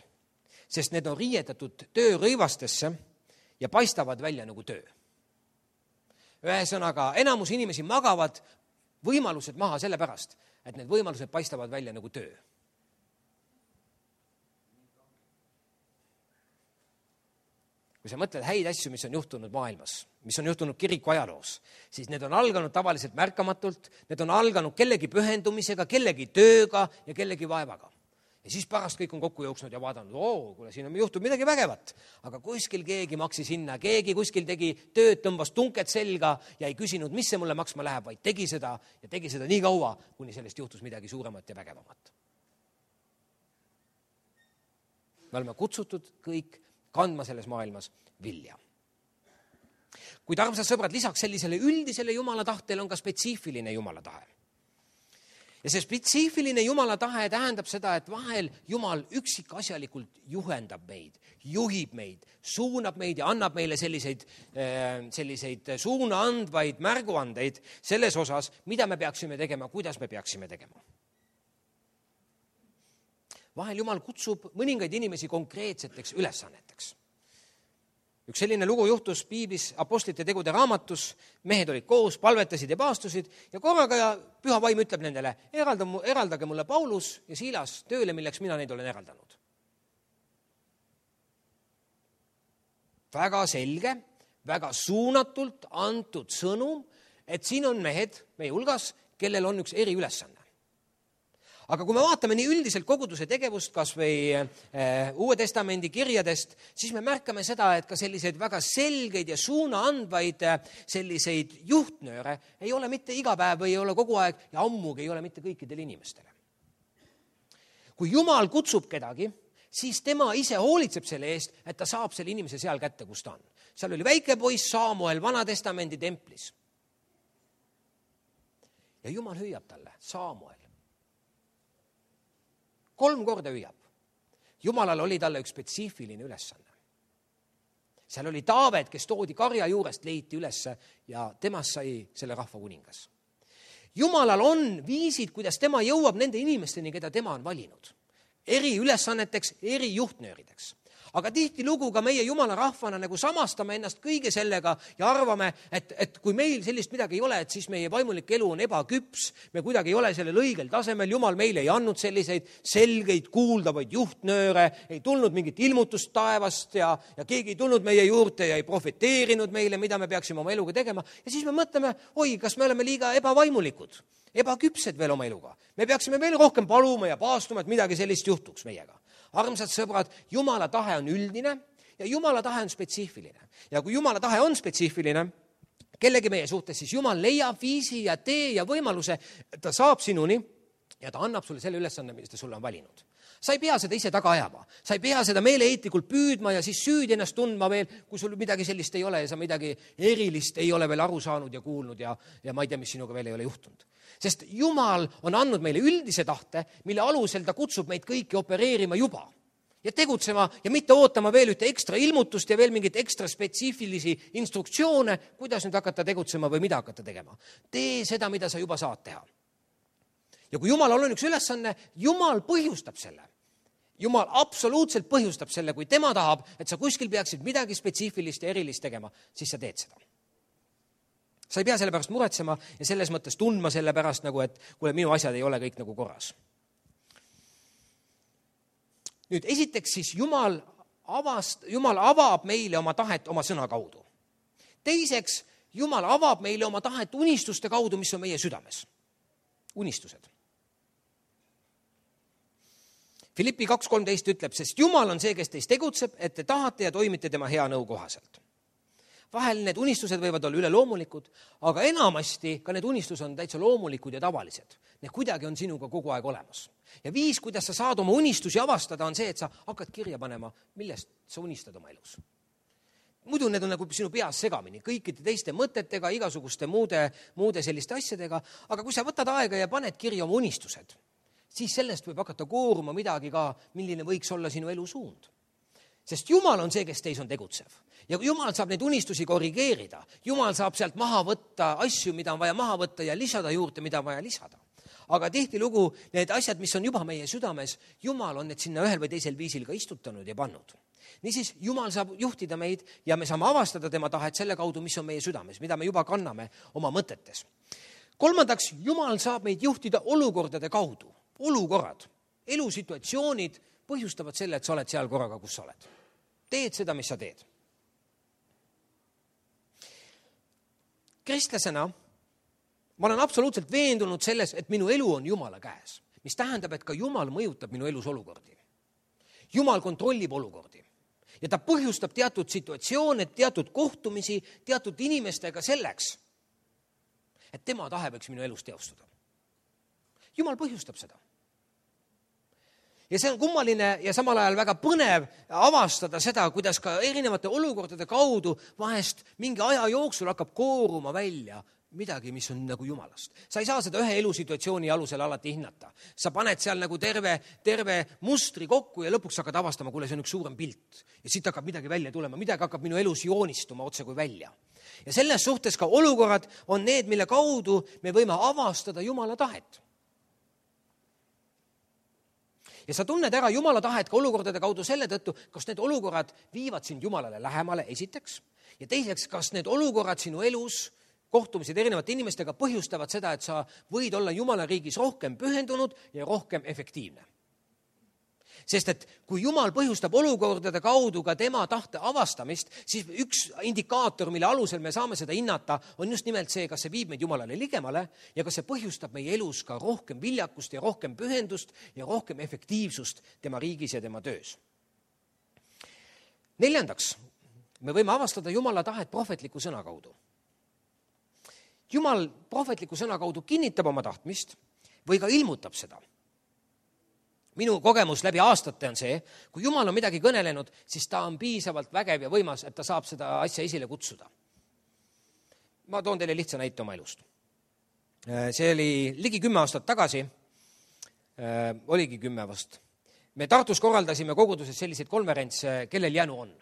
sest need on riietatud töörõivastesse ja paistavad välja nagu töö. Ühesõnaga, enamus inimesi magavad võimalused maha selle pärast, et need võimalused paistavad välja nagu töö. Kui sa mõtled häid asju, mis on juhtunud maailmas, mis on juhtunud kiriku ajaloos, siis need on alganud tavaliselt märkamatult, need on alganud kellegi pühendumisega, kellegi tööga ja kellegi vaevaga. Ja siis pärast kõik on kokku jooksnud ja vaadanud, kuule, siin on juhtunud midagi vägevat. Aga kuskil keegi maksis hinna, keegi kuskil tegi tööd, tõmbas tunked selga ja ei küsinud, mis see mulle maksma läheb, vaid tegi seda ja tegi seda nii kaua, kuni sellest juhtus midagi suuremat ja vägevamat. Me oleme kutsutud kõik kandma selles maailmas vilja. Kuid armsad sõbrad, lisaks sellisele üldisele Jumala tahtele on ka spetsiifiline Jumala tahe. Ja see spetsiifiline Jumala tahe tähendab seda, et vahel Jumal üksikasjalikult juhendab meid, juhib meid, suunab meid ja annab meile selliseid suuna andvaid märguandeid selles osas, mida me peaksime tegema, kuidas me peaksime tegema. Vahel Jumal kutsub mõningaid inimesi konkreetseteks ülesanneteks. Üks selline lugu juhtus Piiblis apostlite tegude raamatus, mehed olid koos, palvetasid ja paastusid ja korraga ja Püha Vaim ütleb nendele, eraldage mulle Paulus ja Siilas tööle, milleks mina neid olen eraldanud. Väga selge, väga suunatult antud sõnum, et siin on mehed meie hulgas, kellel on üks eriülesanne. Aga kui me vaatame nii üldiselt koguduse tegevust, kas või Uue Testamendi kirjadest, siis me märkame seda, et ka selliseid väga selgeid ja suuna andvaid selliseid juhtnööre ei ole mitte iga päev või ei ole kogu aeg ja ammugi ei ole mitte kõikidele inimestele. Kui Jumal kutsub kedagi, siis tema ise hoolitseb selle eest, et ta saab selle inimese seal kätte, kus ta on. Seal oli väike poiss Saamuel Vana Testamendi templis. Ja Jumal hüüab talle, Saamuel. 3 korda hüüab. Jumalal oli talle üks spetsiifiline ülesanne. Seal oli Taavet, kes toodi karja juurest, leiti ülesse ja temast sai selle rahva kuningas. Jumalal on viisid, kuidas tema jõuab nende inimesteni, keda tema on valinud. Eri ülesanneteks, eri juhtnöörideks. Aga tihtilugu ka meie Jumala rahvana nagu samastame ennast kõige sellega ja arvame, et kui meil sellist midagi ei ole, et siis meie vaimulik elu on ebaküps, me kuidagi ei ole sellel õigel tasemel, Jumal meile ei andnud selliseid selgeid kuuldavaid juhtnööre, ei tulnud mingit ilmutust taevast ja keegi ei tulnud meie juurde ja ei profeteerinud meile, mida me peaksime oma eluga tegema. Ja siis me mõtleme, kas me oleme liiga ebavaimulikud, ebaküpsed veel oma eluga. Me peaksime veel rohkem paluma ja paastuma, et midagi sellist juhtuks meiega. Armsad sõbrad, Jumala tahe on üldine ja Jumala tahe on spetsiifiline. Ja kui Jumala tahe on spetsiifiline kellegi meie suhtes, siis Jumal leiab viisi ja tee ja võimaluse, et ta saab sinuni ja ta annab sulle selle ülesanne, mis ta sulle on valinud. Sa ei pea seda ise taga ajama. Sa ei pea seda meeleheitlikult püüdma ja siis süüdi ennast tundma veel, kui sul midagi sellist ei ole ja sa midagi erilist ei ole veel aru saanud ja kuulnud ja ma ei tea, mis sinuga veel ei ole juhtunud. Sest Jumal on andnud meile üldise tahte, mille alusel ta kutsub meid kõiki opereerima juba ja tegutsema ja mitte ootama veel ühte ekstra ilmutust ja veel mingit ekstra spetsiifilisi instruktsioone, kuidas nüüd hakata tegutsema või mida hakata tegema. Tee seda, mida sa juba saad teha. Ja kui Jumalal on üks ülesanne, Jumal põhjustab selle. Jumal absoluutselt põhjustab selle, kui tema tahab, et sa kuskil peaksid midagi spetsiifilist ja erilist tegema, siis sa teed seda. Sa ei pea selle pärast muretsema ja selles mõttes tundma selle pärast, nagu, et kuule, minu asjad ei ole kõik nagu korras. Nüüd esiteks siis Jumal avab meile oma tahet oma sõna kaudu. Teiseks, Jumal avab meile oma tahet unistuste kaudu, mis on meie südames. Unistused. Filippi 2.13 ütleb, sest Jumal on see, kes teist tegutseb, et te tahate ja toimite tema hea nõu kohaselt. Vahel need unistused võivad olla üleloomulikud, aga enamasti ka need unistused on täitsa loomulikud ja tavalised. Need kuidagi on sinuga kogu aeg olemas. Ja viis, kuidas sa saad oma unistusi avastada, on see, et sa hakkad kirja panema, millest sa unistad oma elus. Muidu need on nagu sinu peas segamini, kõikide teiste mõtetega, igasuguste muude selliste asjadega, aga kui sa võtad aega ja paned kirja oma unistused, siis sellest võib hakata kooruma midagi ka, milline võiks olla sinu elu suund. Sest Jumal on see, kes teis on tegutsev. Ja Jumal saab neid unistusi korrigeerida. Jumal saab sealt maha võtta asju, mida on vaja maha võtta ja lisada juurde, mida on vaja lisada. Aga tihtilugu need asjad, mis on juba meie südames, Jumal on need sinna ühel või teisel viisil ka istutanud ja pannud. Niisiis, Jumal saab juhtida meid ja me saame avastada tema tahet selle kaudu, mis on meie südames, mida me juba kanname oma mõtetes. Kolmandaks, Jumal saab meid juhtida olukordade kaudu. Olukorrad, elusituatsioonid põhjustavad selle, et sa oled seal korraga, kus sa oled. Teed seda, mis sa teed. Kristlasena ma olen absoluutselt veendunud selles, et minu elu on Jumala käes, mis tähendab, et ka Jumal mõjutab minu elus olukordi. Jumal kontrollib olukordi ja ta põhjustab teatud situatsioone, teatud kohtumisi, teatud inimestega selleks, et tema tahe võiks minu elus teostuda. Jumal põhjustab seda. Ja see on kummaline ja samal ajal väga põnev avastada seda, kuidas ka erinevate olukordade kaudu vahest mingi aja jooksul hakkab kooruma välja midagi, mis on nagu Jumalast. Sa ei saa seda ühe elusituatsiooni alusel alati hinnata. Sa paned seal nagu terve mustri kokku ja lõpuks hakkad avastama, kuule, see on üks suurem pilt. Ja siit hakkab midagi välja tulema, midagi hakkab minu elus joonistuma otse kui välja. Ja selles suhtes ka olukorrad on need, mille kaudu me võime avastada Jumala tahet. Ja sa tunned ära Jumala tahet ka olukordade kaudu selle tõttu, kas need olukorrad viivad sind Jumalale lähemale esiteks ja teiseks, kas need olukorrad sinu elus, kohtumised erinevate inimestega põhjustavad seda, et sa võid olla Jumala riigis rohkem pühendunud ja rohkem efektiivne. Sest et kui Jumal põhjustab olukordade kaudu ka tema tahte avastamist, siis üks indikaator, mille alusel me saame seda hinnata, on just nimelt see, kas see viib meid Jumalale ligemale ja kas see põhjustab meie elus ka rohkem viljakust ja rohkem pühendust ja rohkem efektiivsust tema riigis ja tema töös. Neljandaks, me võime avastada Jumala tahet prohvetliku sõna kaudu. Jumal prohvetliku sõna kaudu kinnitab oma tahtmist või ka ilmutab seda. Minu kogemus läbi aastate on see, kui Jumal on midagi kõnelenud, siis ta on piisavalt vägev ja võimas, et ta saab seda asja esile kutsuda. Ma toon teile lihtsa näite oma elust. See oli ligi 10 aastat tagasi, oligi 10 vast. Me Tartus korraldasime koguduses selliseid konverentse, kellel jänu on.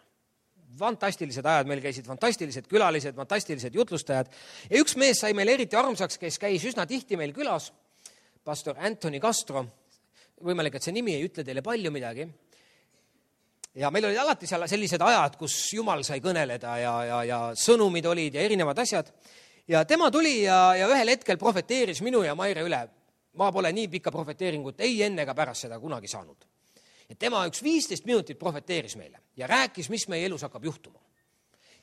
Fantastilised ajad, meil käisid fantastilised külalised, fantastilised jutlustajad. Ja üks mees sai meil eriti armsaks, kes käis üsna tihti meil külas, pastor Anthony Castro. Võimalik, et see nimi ei ütle teile palju midagi. Ja meil olid alati seal sellised ajad, kus Jumal sai kõneleda ja sõnumid olid ja erinevad asjad. Ja tema tuli ja ühel hetkel profeteeris minu ja Maire üle. Ma pole nii pikka profeteeringut ei enne ega pärast seda kunagi saanud. Ja tema üks 15 minutit profeteeris meile ja rääkis, mis meie elus hakkab juhtuma.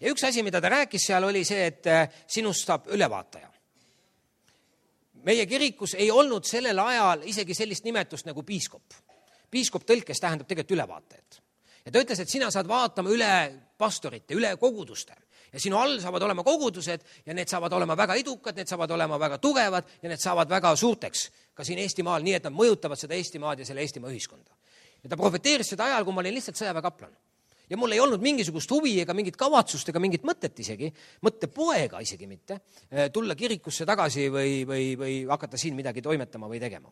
Ja üks asi, mida ta rääkis seal, oli see, et sinust saab ülevaataja. Meie kirikus ei olnud sellel ajal isegi sellist nimetust nagu piiskop. Piiskop tõlkes tähendab tegelikult ülevaatajat. Ja ta ütles, et sina saad vaatama üle pastorite, üle koguduste. Ja sinu all saavad olema kogudused ja need saavad olema väga edukad, need saavad olema väga tugevad ja need saavad väga suurteks ka siin Eestimaal, nii et nad mõjutavad seda Eestimaad ja selle Eestimaa ühiskonda. Ja ta profeteeris seda ajal, kui ma olin lihtsalt sõjaväekaplan. Ja mul ei olnud mingisugust huvi ega mingit kavatsust ega mingit mõtet isegi, mõttepoega isegi mitte, tulla kirikusse tagasi või hakata siin midagi toimetama või tegema.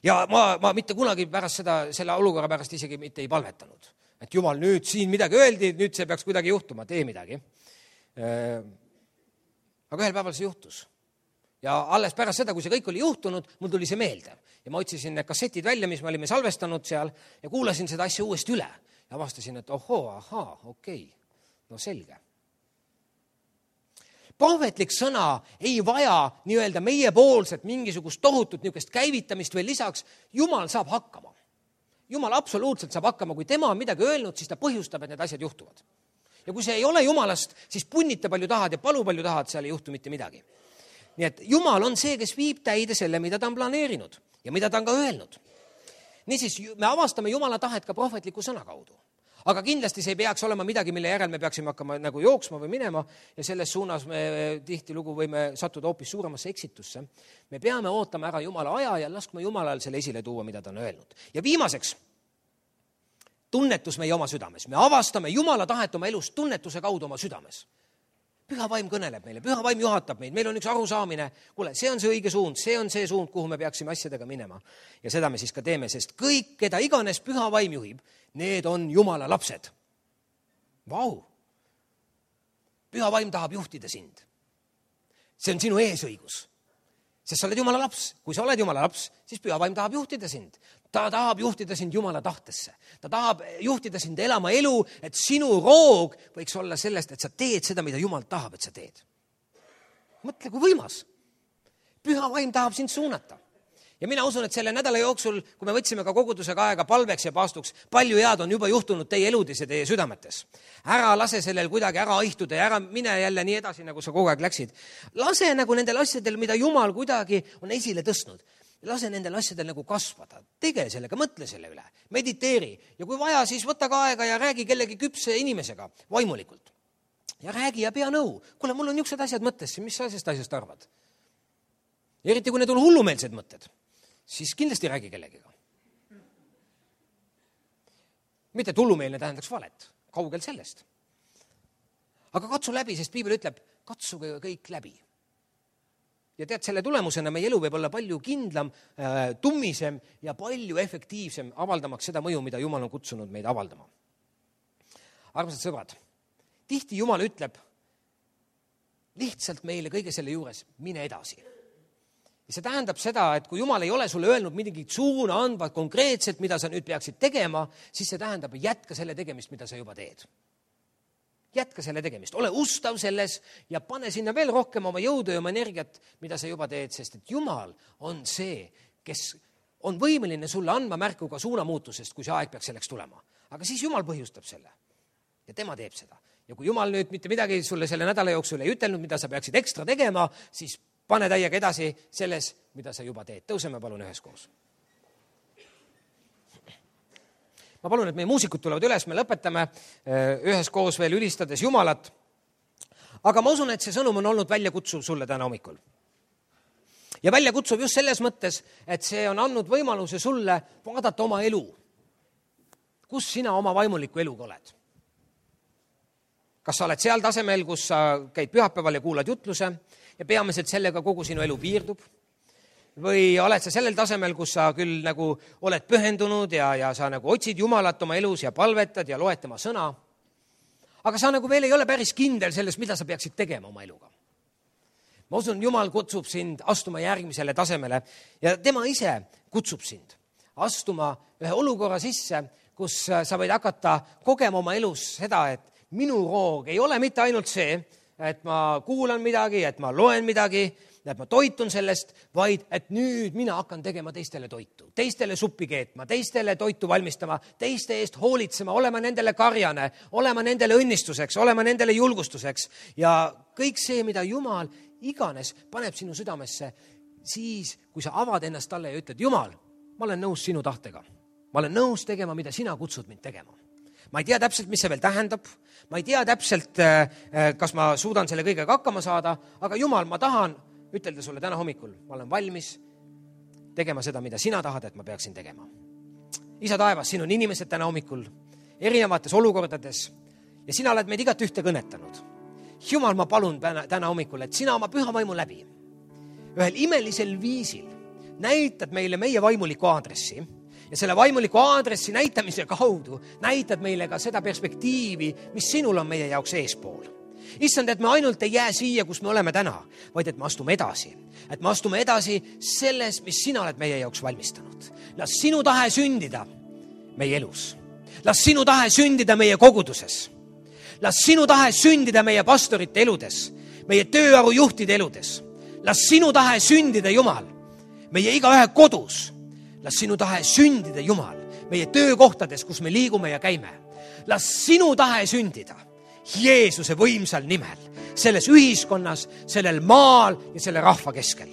Ja ma mitte kunagi pärast selle olukorra pärast isegi mitte ei palvetanud. Et Jumal, nüüd siin midagi öeldi, nüüd see peaks kuidagi juhtuma, tee midagi. Aga ühel päeval see juhtus. Ja alles pärast seda, kui see kõik oli juhtunud, mul tuli see meelde. Ja ma otsisin need kassetid välja, mis me olime salvestanud seal ja kuulasin seda asja uuesti üle. Ja avastasin, et okei, no selge. Prohvetlik sõna ei vaja nii-öelda meiepoolset mingisugust tohutut niisugust käivitamist või lisaks. Jumal saab hakkama. Jumal absoluutselt saab hakkama, kui tema on midagi öelnud, siis ta põhjustab, et need asjad juhtuvad. Ja kui see ei ole Jumalast, siis punnita palju tahad ja palu palju tahad, seal ei juhtu mitte midagi. Nii et Jumal on see, kes viib täide selle, mida ta on planeerinud ja mida ta on ka öelnud. Niisiis, me avastame Jumala tahet ka prohvetliku sõna kaudu. Aga kindlasti see ei peaks olema midagi, mille järel me peaksime hakkama nagu jooksma või minema ja selles suunas me tihtilugu võime sattuda hoopis suuremasse eksitusse. Me peame ootama ära Jumala aja ja laskma Jumalal selle esile tuua, mida ta on öelnud. Ja viimaseks, tunnetus meie oma südames. Me avastame Jumala tahet oma elus tunnetuse kaudu oma südames. Püha vaim kõneleb meile, püha vaim juhatab meid, meil on üks arusaamine, kuule, see on see õige suund, see on see suund, kuhu me peaksime asjadega minema. Ja seda me siis ka teeme, sest kõik, keda iganes püha vaim juhib, need on Jumala lapsed. Vau! Püha vaim tahab juhtida sind. See on sinu eesõigus. Sest sa oled Jumala laps. Kui sa oled Jumala laps, siis püha vaim tahab juhtida sind. Ta tahab juhtida sind Jumala tahtesse. Ta tahab juhtida sind elama elu, et sinu roog võiks olla sellest, et sa teed seda, mida Jumal tahab, et sa teed. Mõtle, kui võimas. Püha vaim tahab sind suunata. Ja mina usun, et selle nädala jooksul, kui me võtsime ka kogudusega aega palveks ja paastuks, palju head on juba juhtunud teie eludes ja teie südametes. Ära lase sellel kuidagi ära aihtuda ja ära mine jälle nii edasi, nagu sa kogu aeg läksid. Lase nagu nendel asjadel, mida Jumal kuidagi on esile tõstnud. Lase nendel asjadel nagu kasvada. Tege sellega, mõtle selle üle. Mediteeri. Ja kui vaja, siis võta ka aega ja räägi kellegi küpse inimesega vaimulikult. Ja räägi ja pea nõu. Kuule, mul on niisugused asjad mõttes, mis sa sellest asjast arvad? Eriti kui need on hullumeelsed mõtted, siis kindlasti räägi kellegiga. Mitte et hullumeelne tähendaks valet, kaugel sellest. Aga katsu läbi, sest Piibel ütleb, katsuge kõik läbi. Ja tead, selle tulemusena meie elu võib olla palju kindlam, tummisem ja palju efektiivsem, avaldamaks seda mõju, mida Jumal on kutsunud meid avaldama. Armsad sõbrad, tihti Jumal ütleb lihtsalt meile kõige selle juures, mine edasi. Ja see tähendab seda, et kui Jumal ei ole sulle öelnud midagi suuna andvat konkreetselt, mida sa nüüd peaksid tegema, siis see tähendab, jätka selle tegemist, mida sa juba teed. Jätka selle tegemist, ole ustav selles ja pane sinna veel rohkem oma jõudu ja oma energiat, mida sa juba teed, sest et Jumal on see, kes on võimeline sulle andma märku ka suunamuutusest, kui see aeg peaks selleks tulema. Aga siis Jumal põhjustab selle ja tema teeb seda. Ja kui Jumal nüüd mitte midagi sulle selle nädala jooksul ei ütelnud, mida sa peaksid ekstra tegema, siis pane täiega edasi selles, mida sa juba teed. Tõuseme palun üheskoos. Ma palun, et meie muusikud tulevad üles, me lõpetame üheskoos veel ülistades Jumalat. Aga ma usun, et see sõnum on olnud väljakutsuv sulle täna hommikul. Ja väljakutsuv just selles mõttes, et see on andnud võimaluse sulle vaadata oma elu. Kus sina oma vaimuliku eluga oled? Kas sa oled seal tasemel, kus sa käid pühapäeval ja kuulad jutluse ja peamiselt sellega kogu sinu elu piirdub? Või oled sa sellel tasemel, kus sa küll nagu oled pühendunud ja sa nagu otsid Jumalat oma elus ja palvetad ja loed tema sõna, aga sa nagu veel ei ole päris kindel selles, mida sa peaksid tegema oma eluga. Ma usun, Jumal kutsub sind astuma järgmisele tasemele ja tema ise kutsub sind astuma ühe olukorra sisse, kus sa võid hakata kogema oma elus seda, et minu roog ei ole mitte ainult see, et ma kuulan midagi, et ma loen midagi, et ma toitun sellest, vaid et nüüd mina hakkan tegema teistele toitu, teistele suppi keetma, teistele toitu valmistama, teiste eest hoolitsema, olema nendele karjane, olema nendele õnnistuseks, olema nendele julgustuseks ja kõik see, mida Jumal iganes paneb sinu südamesse, siis kui sa avad ennast talle ja ütled, Jumal, ma olen nõus sinu tahtega, ma olen nõus tegema, mida sina kutsud mind tegema. Ma ei tea täpselt, mis see veel tähendab. Ma ei tea täpselt, kas ma suudan selle kõigega hakkama saada, aga Jumal, ma tahan ütelda sulle täna hommikul, ma olen valmis tegema seda, mida sina tahad, et ma peaksin tegema. Isa taevas, siin on inimesed täna hommikul erinevates olukordades ja sina oled meid igat ühte kõnetanud. Jumal, ma palun täna hommikul, et sina oma püha vaimu läbi ühel imelisel viisil näitad meile meie vaimuliku aadressi ja selle vaimuliku aadressi näitamise kaudu näitad meile ka seda perspektiivi, mis sinul on meie jaoks eespool. Issand, et me ainult ei jää siia, kus me oleme täna, vaid et me astume edasi. Et me astume edasi selles, mis sina oled meie jaoks valmistanud. Las sinu tahe sündida meie elus. Las sinu tahe sündida meie koguduses. Las sinu tahe sündida meie pastorite eludes, meie tööarujuhtide eludes. Las sinu tahe sündida, Jumal, meie igaühe kodus. Las sinu tahe sündida, Jumal, meie töökohtades, kus me liigume ja käime. Las sinu tahe sündida Jeesuse võimsal nimel, selles ühiskonnas, sellel maal ja selle rahva keskel.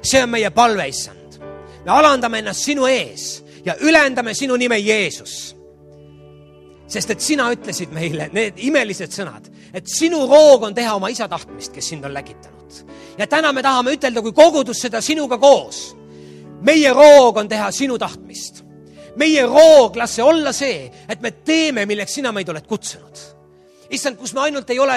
See on meie palve, issand. Me alandame ennast sinu ees ja ülendame sinu nime Jeesus. Sest et sina ütlesid meile need imelised sõnad, et sinu roog on teha oma isa tahtmist, kes sind on läkitanud. Ja täna me tahame ütelda, kui kogudus seda sinuga koos. Meie roog on teha sinu tahtmist. Meie roog, las see olla see, et me teeme, milleks sina meid oled kutsunud. Issand, kus me ainult ei ole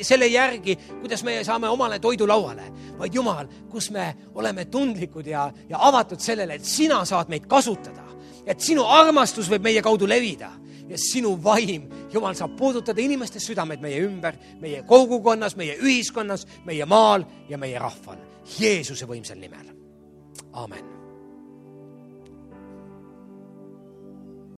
selle järgi, kuidas me saame omale toidu lauale, vaid Jumal, kus me oleme tundlikud ja avatud sellele, et sina saad meid kasutada, et sinu armastus võib meie kaudu levida ja sinu vaim, Jumal, saab puudutada inimeste südamed meie ümber, meie kogukonnas, meie ühiskonnas, meie maal ja meie rahval. Jeesuse võimsal nimel. Aamen.